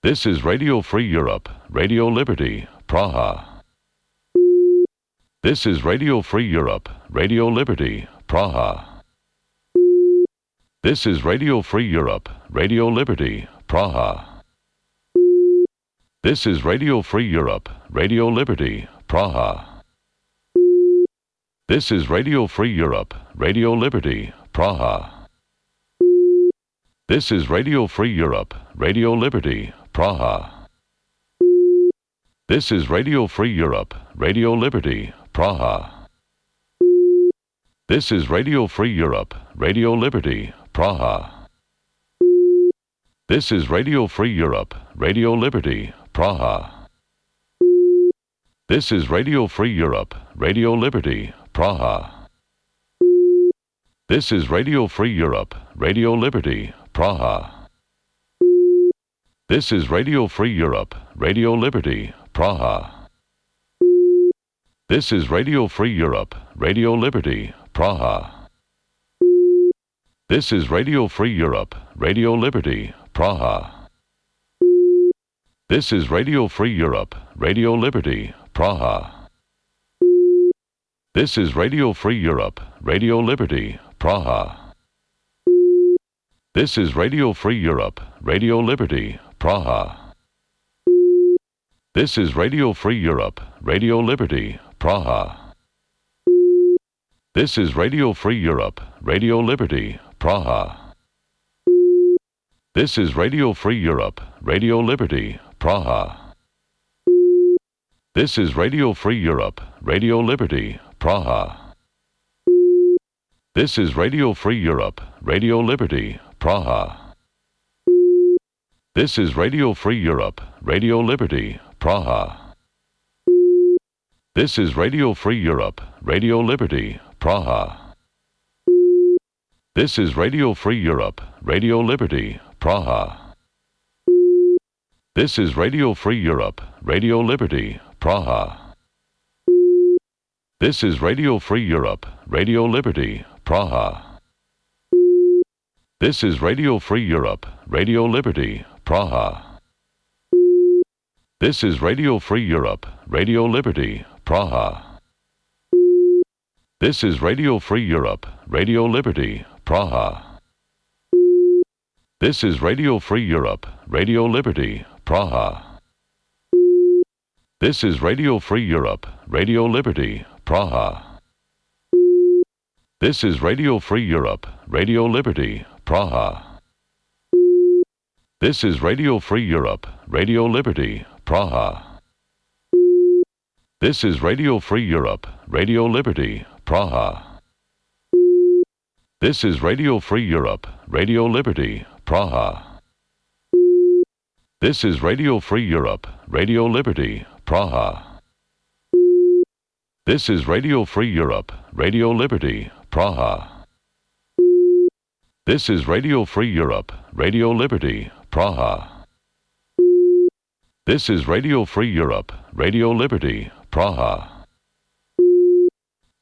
This is Radio Free Europe, Radio Liberty, Praha. This is Radio Free Europe, Radio Liberty, Praha. This is Radio Free Europe, Radio Liberty, Praha. This is Radio Free Europe, Radio Liberty, Praha. This is Radio Free Europe, Radio Liberty, Praha. This is Radio Free Europe, Radio Liberty, Praha. This is Radio Free Europe, Radio Liberty, Praha. This is Radio Free Europe, Radio Liberty, Praha. This is Radio Free Europe, Radio Liberty, Praha. This is Radio Free Europe, Radio Liberty, Praha. This is Radio Free Europe, Radio Liberty, Praha. This is Radio Free Europe, Radio Liberty, Praha. This is Radio Free Europe, Radio Liberty, Praha. This is Radio Free Europe, Radio Liberty, Praha. This is Radio Free Europe, Radio Liberty, Praha. This is Radio Free Europe, Radio Liberty, Praha. This is Radio Free Europe, Radio Liberty, Praha. This is Radio Free Europe, Radio Liberty, Praha. This is Radio Free Europe, Radio Liberty, Praha. This is Radio Free Europe, Radio Liberty, Praha. This is Radio Free Europe, Radio Liberty, Praha. This is Radio Free Europe, Radio Liberty, Praha. This is Radio Free Europe, Radio Liberty, Praha. This is Radio Free Europe, Radio Liberty, Praha. This is Radio Free Europe, Radio Liberty, Praha. This is Radio Free Europe, Radio Liberty, Praha. This is Radio Free Europe, Radio Liberty, Praha. This is Radio Free Europe, Radio Liberty, Praha. This is Radio Free Europe, Radio Liberty, Praha. This is Radio Free Europe, Radio Liberty, Praha. This is Radio Free Europe, Radio Liberty, Praha. This is Radio Free Europe, Radio Liberty, Praha. This is Radio Free Europe, Radio Liberty, Praha. This is Radio Free Europe, Radio Liberty, Praha. This is Radio Free Europe, Radio Liberty, Praha. This is Radio Free Europe, Radio Liberty, Praha. This is Radio Free Europe, Radio Liberty, Praha. This is Radio Free Europe, Radio Liberty, Praha. This is Radio Free Europe, Radio Liberty, Praha. This is Radio Free Europe, Radio Liberty, Praha.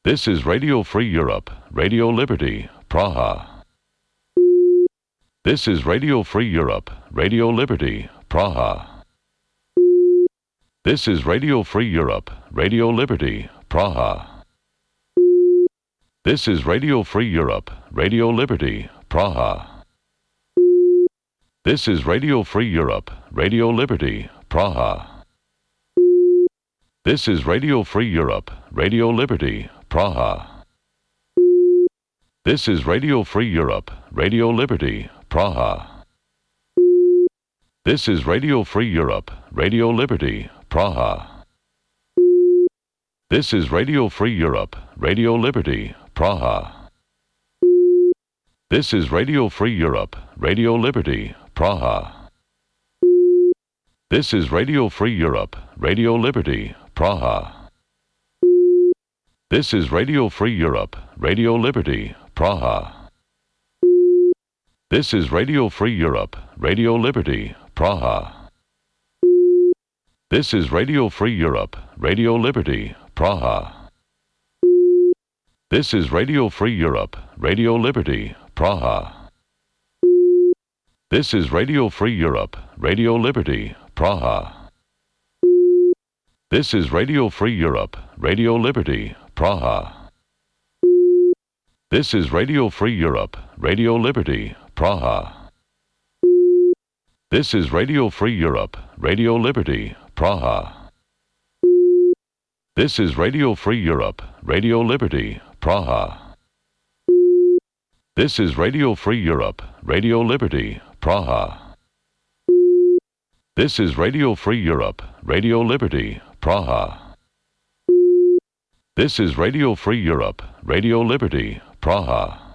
This is Radio Free Europe, Radio Liberty, Praha. This is Radio Free Europe, Radio Liberty, Praha. This is Radio Free Europe, Radio Liberty, Praha. This is Radio Free Europe, Radio Liberty, Praha. This is Radio Free Europe, Radio Liberty, Praha. This is Radio Free Europe, Radio Liberty, Praha. This is Radio Free Europe, Radio Liberty, Praha. This is Radio Free Europe, Radio Liberty, Praha. This is Radio Free Europe, Radio Liberty, Praha. This is Radio Free Europe, Radio Liberty, Praha. This is Radio Free Europe, Radio Liberty, Praha. This is Radio Free Europe, Radio Liberty, Praha. This is Radio Free Europe, Radio Liberty, Praha. This is Radio Free Europe, Radio Liberty, Praha. This is Radio Free Europe, Radio Liberty, Praha. This is Radio Free Europe, Radio Liberty, Praha. This is Radio Free Europe, Radio Liberty, Praha. This is Radio Free Europe, Radio Liberty, Praha. This is Radio Free Europe, Radio Liberty, Praha. This is Radio Free Europe, Radio Liberty, Praha. This is Radio Free Europe, Radio Liberty, Praha. This is Radio Free Europe, Radio Liberty, Praha. This is Radio Free Europe, Radio Liberty, Praha.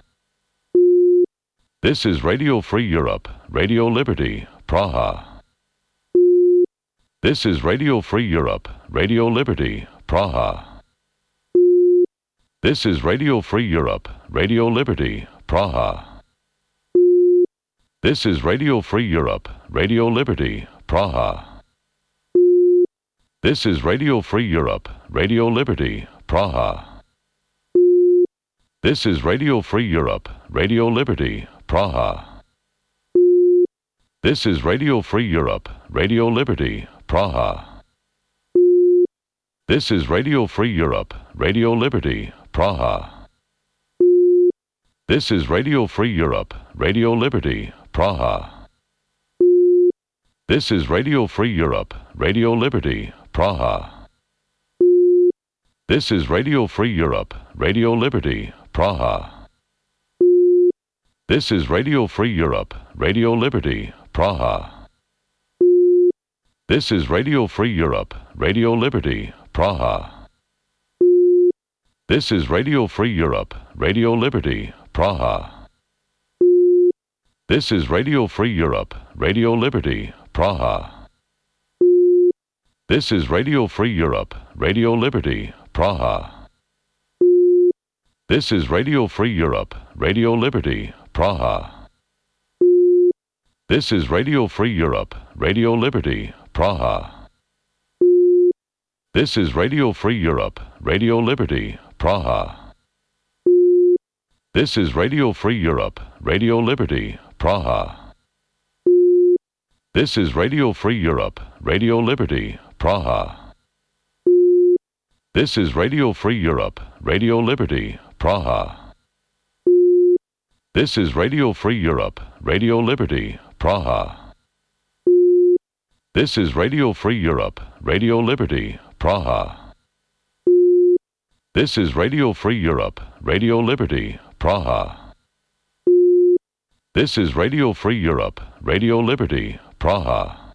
This is Radio Free Europe, Radio Liberty, Praha. This is Radio Free Europe, Radio Liberty, Praha. This is Radio Free Europe, Radio Liberty, Praha. This is Radio Free Europe, Radio Liberty, Praha. This is Radio Free Europe, Radio Liberty, Praha. This is Radio Free Europe, Radio Liberty, Praha. This is Radio Free Europe, Radio Liberty, Praha. This is Radio Free Europe, Radio Liberty, Praha. This is Radio Free Europe, Radio Liberty, Praha. This is Radio Free Europe, Radio Liberty, Praha. This is Radio Free Europe, Radio Liberty, Praha. This is Radio Free Europe, Radio Liberty, Praha. This is Radio Free Europe, Radio Liberty, Praha. This is Radio Free Europe, Radio Liberty, Praha. This is Radio Free Europe, Radio Liberty, Praha. This is Radio Free Europe, Radio Liberty, Praha. This is Radio Free Europe, Radio Liberty, Praha. This is Radio Free Europe, Radio Liberty, Praha. This is Radio Free Europe, Radio Liberty, Praha. This is Radio Free Europe, Radio Liberty, Praha. This is Radio Free Europe, Radio Liberty, Praha. This is Radio Free Europe, Radio Liberty, Praha. This is Radio Free Europe, Radio Liberty, Praha. This is Radio Free Europe, Radio Liberty, Praha. This is Radio Free Europe, Radio Liberty, Praha. This is Radio Free Europe, Radio Liberty, Praha.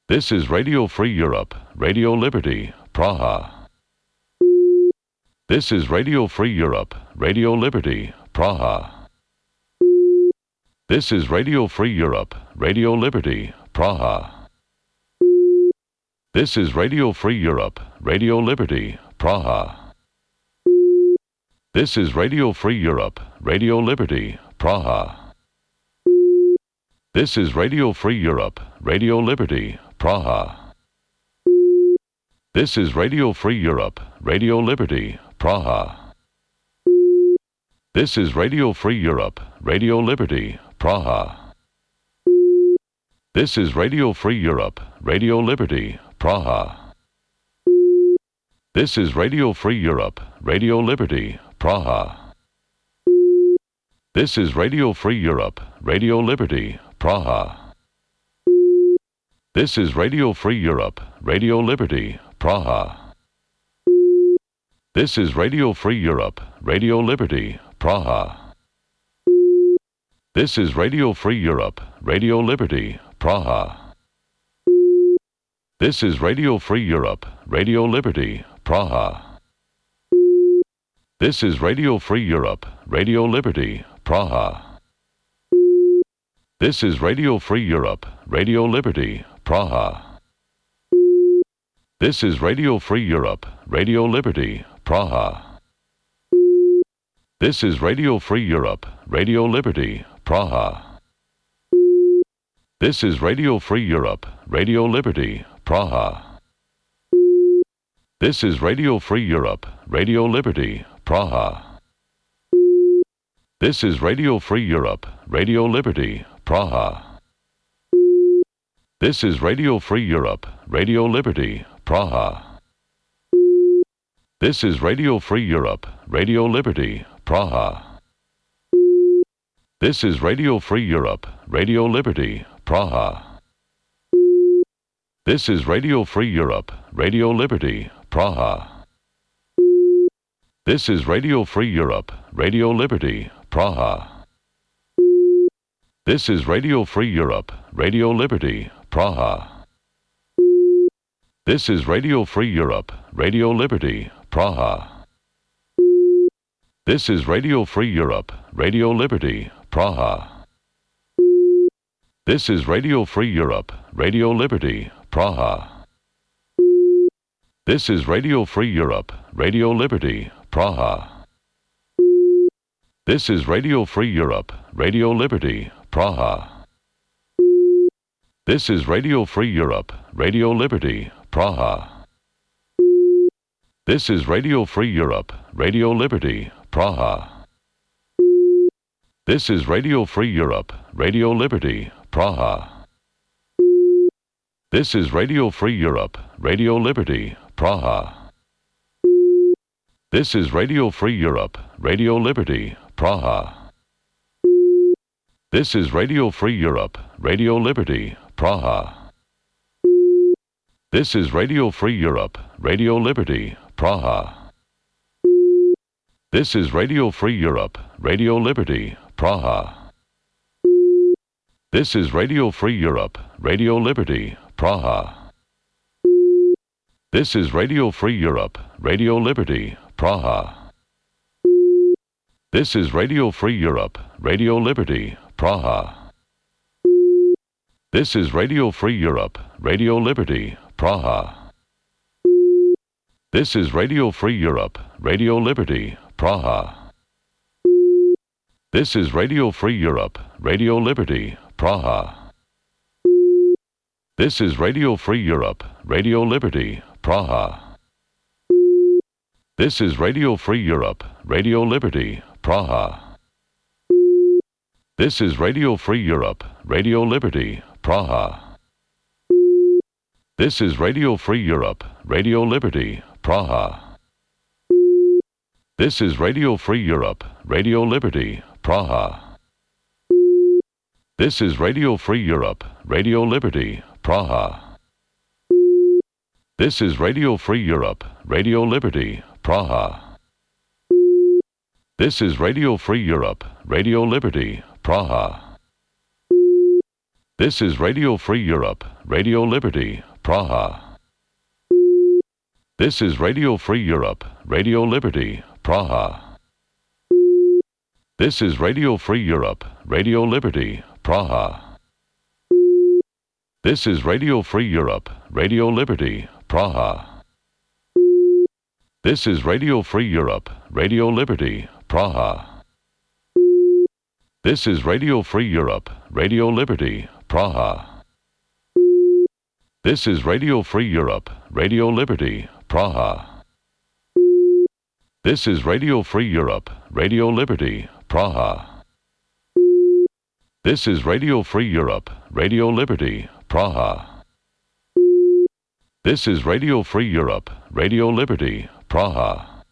This is Radio Free Europe, Radio Liberty, Praha. This is Radio Free Europe, Radio Liberty, Praha. This is Radio Free Europe, Radio Liberty, Praha. This is Radio Free Europe, Radio Liberty, Praha. This is Radio Free Europe, Radio Liberty, Praha. This is Radio Free Europe, Radio Liberty, Praha. This is Radio Free Europe, Radio Liberty, Praha. This is Radio Free Europe, Radio Liberty, Praha. This is Radio Free Europe, Radio Liberty, Praha. This is Radio Free Europe, Radio Liberty, Praha. This is Radio Free Europe, Radio Liberty, Praha. This is Radio Free Europe, Radio Liberty, Praha. This is Radio Free Europe, Radio Liberty, Praha. This is Radio Free Europe, Radio Liberty, Praha. This is Radio Free Europe, Radio Liberty, Praha. This is Radio Free Europe, Radio Liberty, Praha. This is Radio Free Europe, Radio Liberty, Praha. This is Radio Free Europe, Radio Liberty, Praha. This is Radio Free Europe, Radio Liberty, Praha. This is Radio Free Europe, Radio Liberty, Praha. This is Radio Free Europe, Radio Liberty, Praha. This is Radio Free Europe, Radio Liberty, Praha. This is Radio Free Europe, Radio Liberty, Praha. This is Radio Free Europe, Radio Liberty, Praha. This is Radio Free Europe, Radio Liberty, Praha. This is Radio Free Europe, Radio Liberty, Praha. This is Radio Free Europe, Radio Liberty, Praha. This is Radio Free Europe, Radio Liberty, Praha. This is Radio Free Europe, Radio Liberty, Praha. This is Radio Free Europe, Radio Liberty, Praha. This is Radio Free Europe, Radio Liberty, Praha. This is Radio Free Europe, Radio Liberty, Praha. This is Radio Free Europe, Radio Liberty, Praha. This is Radio Free Europe, Radio Liberty, Praha. This is Radio Free Europe, Radio Liberty, Praha. This is Radio Free Europe, Radio Liberty, Praha. This is Radio Free Europe, Radio Liberty, Praha. This is Radio Free Europe, Radio Liberty, Praha. This is Radio Free Europe, Radio Liberty, Praha. This is Radio Free Europe, Radio Liberty, Praha. This is Radio Free Europe, Radio Liberty, Praha. This is Radio Free Europe, Radio Liberty, Praha. This is Radio Free Europe, Radio Liberty, Praha. This is Radio Free Europe, Radio Liberty, Praha. This is Radio Free Europe, Radio Liberty, Praha. This is Radio Free Europe, Radio Liberty, Praha. This is Radio Free Europe, Radio Liberty, Praha. This is Radio Free Europe, Radio Liberty, Praha. This is Radio Free Europe, Radio Liberty, Praha. This is Radio Free Europe, Radio Liberty, Praha. This is Radio Free Europe, Radio Liberty, Praha. This is Radio Free Europe, Radio Liberty, Praha. This is Radio Free Europe, Radio Liberty, Praha. This is Radio Free Europe, Radio Liberty, Praha. This is Radio Free Europe, Radio Liberty, Praha. This is Radio Free Europe, Radio Liberty, Praha. This is Radio Free Europe, Radio Liberty, Praha. This is Radio Free Europe, Radio Liberty, Praha. This is Radio Free Europe, Radio Liberty, Praha. This is Radio Free Europe, Radio Liberty, Praha. This is Radio Free Europe, Radio Liberty, Praha. This is Radio Free Europe, Radio Liberty, Praha. This is Radio Free Europe, Radio Liberty, Praha. This is Radio Free Europe, Radio Liberty, Praha. This is Radio Free Europe, Radio Liberty, Praha.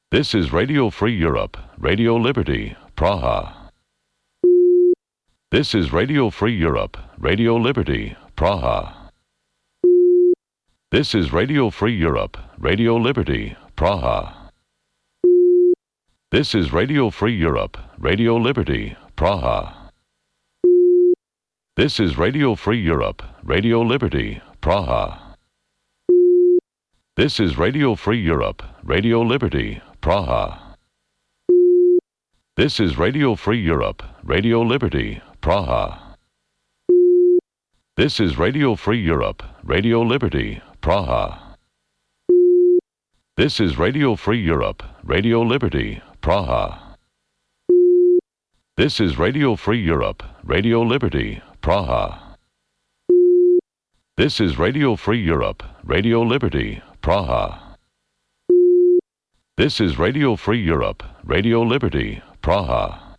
This is Radio Free Europe, Radio Liberty, Praha. This is Radio Free Europe, Radio Liberty, Praha. This is Radio Free Europe, Radio Liberty, Praha. This is Radio Free Europe, Radio Liberty, Praha. This is Radio Free Europe, Radio Liberty, Praha. This is Radio Free Europe, Radio Liberty, Praha. This is Radio Free Europe, Radio Liberty, Praha. This is Radio Free Europe, Radio Liberty, Praha. This is Radio Free Europe, Radio Liberty, Praha. This is Radio Free Europe, Radio Liberty, Praha. This is Radio Free Europe, Radio Liberty, Praha. This is Radio Free Europe, Radio Liberty, Praha.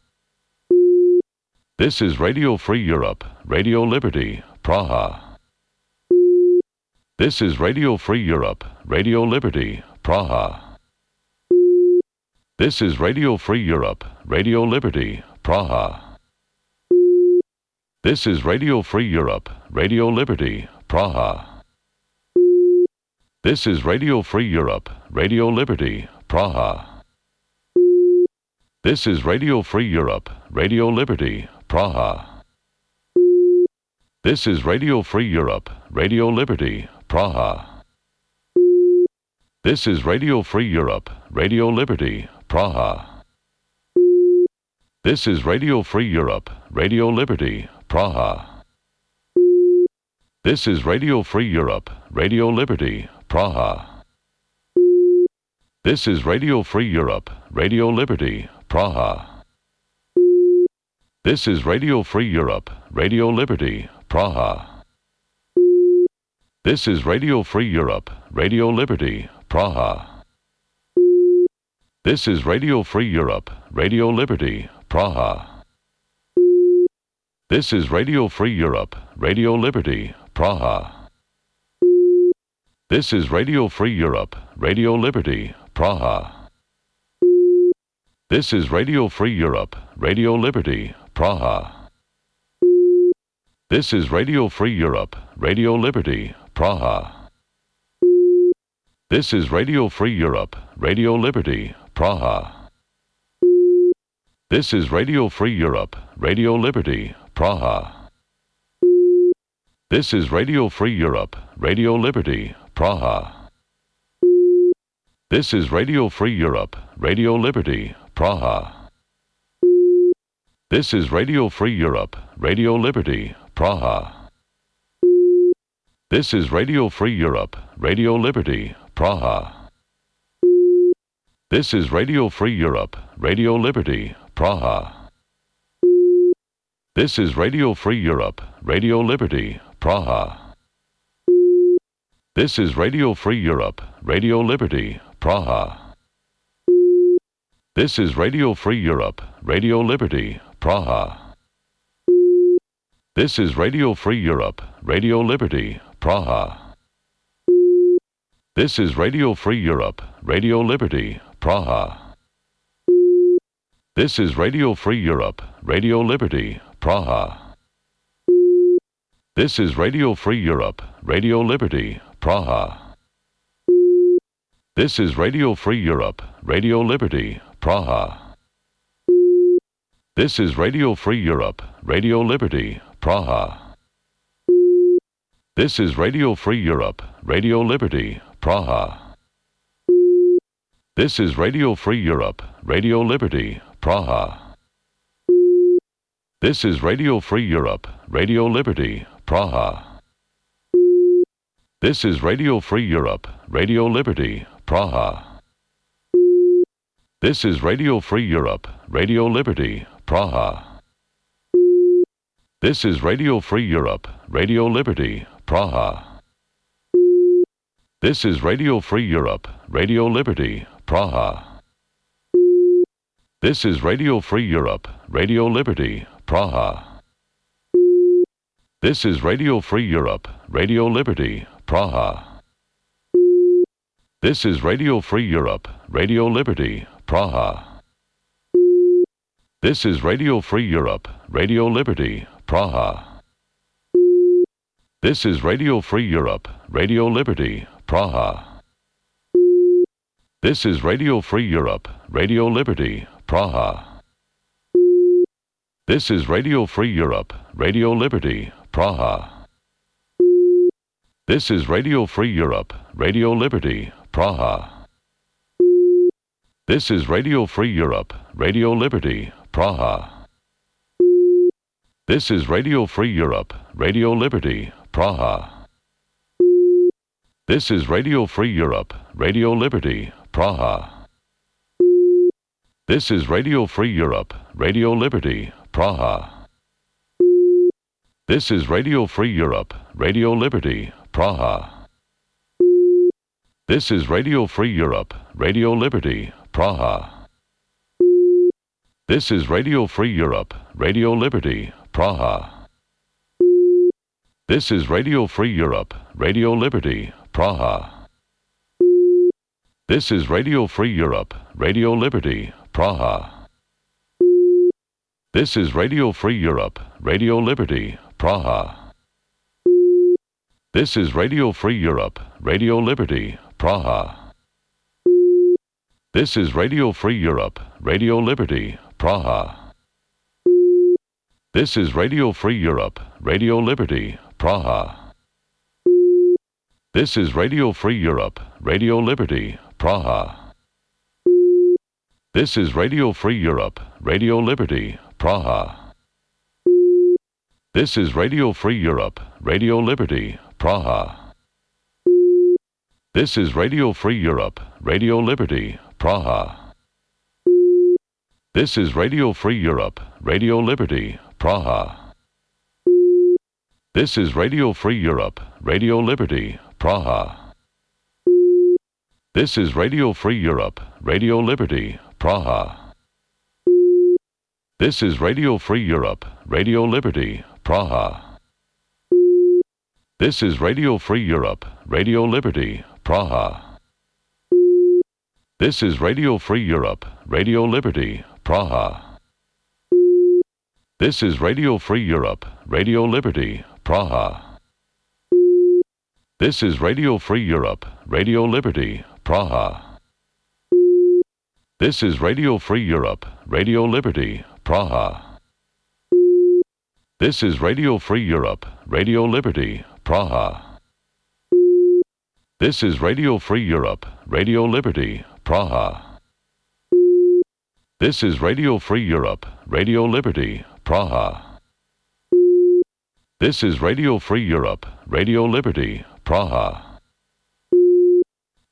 This is Radio Free Europe, Radio Liberty, Praha. This is Radio Free Europe, Radio Liberty, Praha. This is Radio Free Europe, Radio Liberty, Praha. This is Radio Free Europe, Radio Liberty, Praha. This is Radio Free Europe, Radio Liberty, Praha. This is Radio Free Europe, Radio Liberty, Praha. This is Radio Free Europe, Radio Liberty, Praha. This is Radio Free Europe, Radio Liberty, Praha. This is Radio Free Europe, Radio Liberty, Praha. This is Radio Free Europe, Radio Liberty, Praha. This is Radio Free Europe, Radio Liberty, Praha. This is Radio Free Europe, Radio Liberty, Praha. This is Radio Free Europe, Radio Liberty, Praha. This is Radio Free Europe, Radio Liberty, Praha. This is Radio Free Europe, Radio Liberty, Praha. This is Radio Free Europe, Radio Liberty, Praha. This is Radio Free Europe, Radio Liberty, Praha. This is Radio Free Europe, Radio Liberty, Praha. This is Radio Free Europe, Radio Liberty, Praha. This is Radio Free Europe, Radio Liberty, Praha. This is Radio Free Europe, Radio Liberty, Praha. This is Radio Free Europe, Radio Liberty, Praha. This is Radio Free Europe, Radio Liberty, Praha. This is Radio Free Europe, Radio Liberty, Praha. This is Radio Free Europe, Radio Liberty, Praha. This is Radio Free Europe, Radio Liberty, Praha. This is Radio Free Europe, Radio Liberty, Praha. This is Radio Free Europe, Radio Liberty, Praha. This is Radio Free Europe, Radio Liberty, Praha. This is Radio Free Europe, Radio Liberty, Praha. This is Radio Free Europe, Radio Liberty, Praha. This is Radio Free Europe, Radio Liberty, Praha. This is Radio Free Europe, Radio Liberty, Praha. This is Radio Free Europe, Radio Liberty, Praha. This is Radio Free Europe, Radio Liberty, Praha. This is Radio Free Europe, Radio Liberty, Praha. This is Radio Free Europe, Radio Liberty, Praha. This is Radio Free Europe, Radio Liberty, Praha. This is Radio Free Europe, Radio Liberty, Praha. This is Radio Free Europe, Radio Liberty, Praha. This is Radio Free Europe, Radio Liberty, Praha. This is Radio Free Europe, Radio Liberty, Praha. This is Radio Free Europe, Radio Liberty, Praha. This is Radio Free Europe, Radio Liberty, Praha. This is Radio Free Europe, Radio Liberty, Praha. This is Radio Free Europe, Radio Liberty, Praha. This is Radio Free Europe, Radio Liberty, Praha. This is Radio Free Europe, Radio Liberty, Praha. This is Radio Free Europe, Radio Liberty, Praha. This is Radio Free Europe, Radio Liberty, Praha. This is Radio Free Europe, Radio Liberty, Praha. This is Radio Free Europe, Radio Liberty, Praha. This is Radio Free Europe, Radio Liberty, Praha. This is Radio Free Europe, Radio Liberty, Praha. This is Radio Free Europe, Radio Liberty, Praha. This is Radio Free Europe, Radio Liberty, Praha. This is Radio Free Europe, Radio Liberty, Praha. This is Radio Free Europe, Radio Liberty, Praha. This is Radio Free Europe, Radio Liberty, Praha. This is Radio Free Europe, Radio Liberty, Praha. This is Radio Free Europe, Radio Liberty, Praha. This is Radio Free Europe, Radio Liberty, Praha. This is Radio Free Europe, Radio Liberty, Praha. This is Radio Free Europe, Radio Liberty, Praha. This is Radio Free Europe, Radio Liberty, Praha. This is Radio Free Europe, Radio Liberty, Praha. This is Radio Free Europe, Radio Liberty, Praha. This is Radio Free Europe, Radio Liberty, Praha. This is Radio Free Europe, Radio Liberty, Praha. This is Radio Free Europe, Radio Liberty, Praha. This is Radio Free Europe, Radio Liberty, Praha. This is Radio Free Europe, Radio Liberty, Praha. This is Radio Free Europe, Radio Liberty, Praha. This is Radio Free Europe, Radio Liberty, Praha. This is Radio Free Europe, Radio Liberty, Praha. This is Radio Free Europe, Radio Liberty, Praha. This is Radio Free Europe, Radio Liberty, Praha. This is Radio Free Europe, Radio Liberty, Praha. This is Radio Free Europe, Radio Liberty, Praha.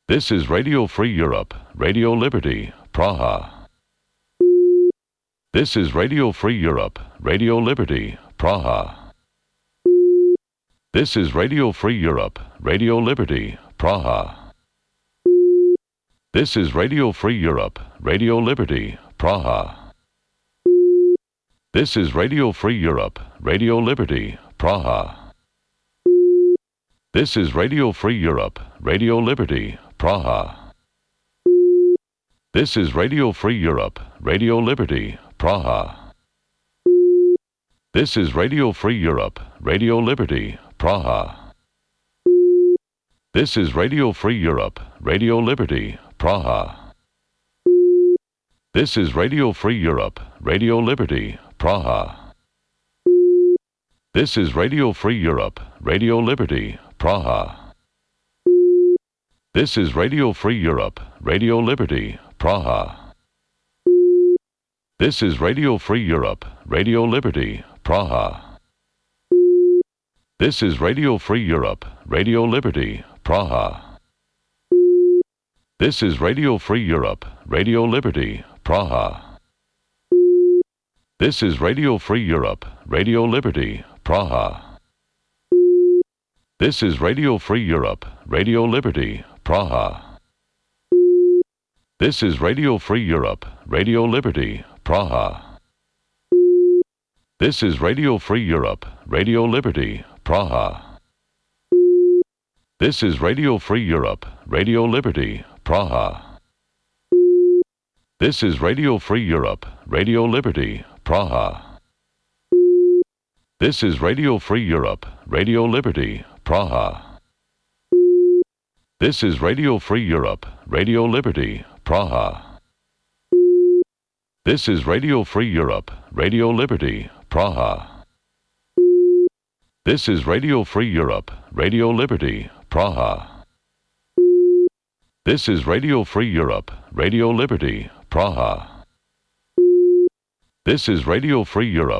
This is Radio Free Europe, Radio Liberty, Praha. This is Radio Free Europe, Radio Liberty, Praha. This is Radio Free Europe, Radio Liberty, Praha. This is Radio Free Europe, Radio Liberty, Praha. This is Radio Free Europe, Radio Liberty, Praha. This is Radio Free Europe, Radio Liberty, Praha. This is Radio Free Europe, Radio Liberty, Praha. This is Radio Free Europe, Radio Liberty, Praha. This is Radio Free Europe, Radio Liberty, Praha. This is Radio Free Europe, Radio Liberty, Praha. This is Radio Free Europe, Radio Liberty, Praha. This is Radio Free Europe, Radio Liberty, Praha. This is Radio Free Europe, Radio Liberty, Praha. This is Radio Free Europe, Radio Liberty, Praha. This is Radio Free Europe, Radio Liberty, Praha. This is Radio Free Europe, Radio Liberty, Praha. This is Radio Free Europe, Radio Liberty, Praha. This is Radio Free Europe, Radio Liberty, Praha. This is Radio Free Europe, Radio Liberty, Praha. This is Radio Free Europe, Radio Liberty, Praha. This is Radio Free Europe, Radio Liberty, Praha. This is Radio Free Europe, Radio Liberty, Praha. This is Radio Free Europe, Radio Liberty, Praha. This is Radio Free Europe, Radio Liberty, Praha. This is Radio Free Europe, Radio Liberty, Praha. This is Radio Free Europe, Radio Liberty, Praha. This is Radio Free Europe.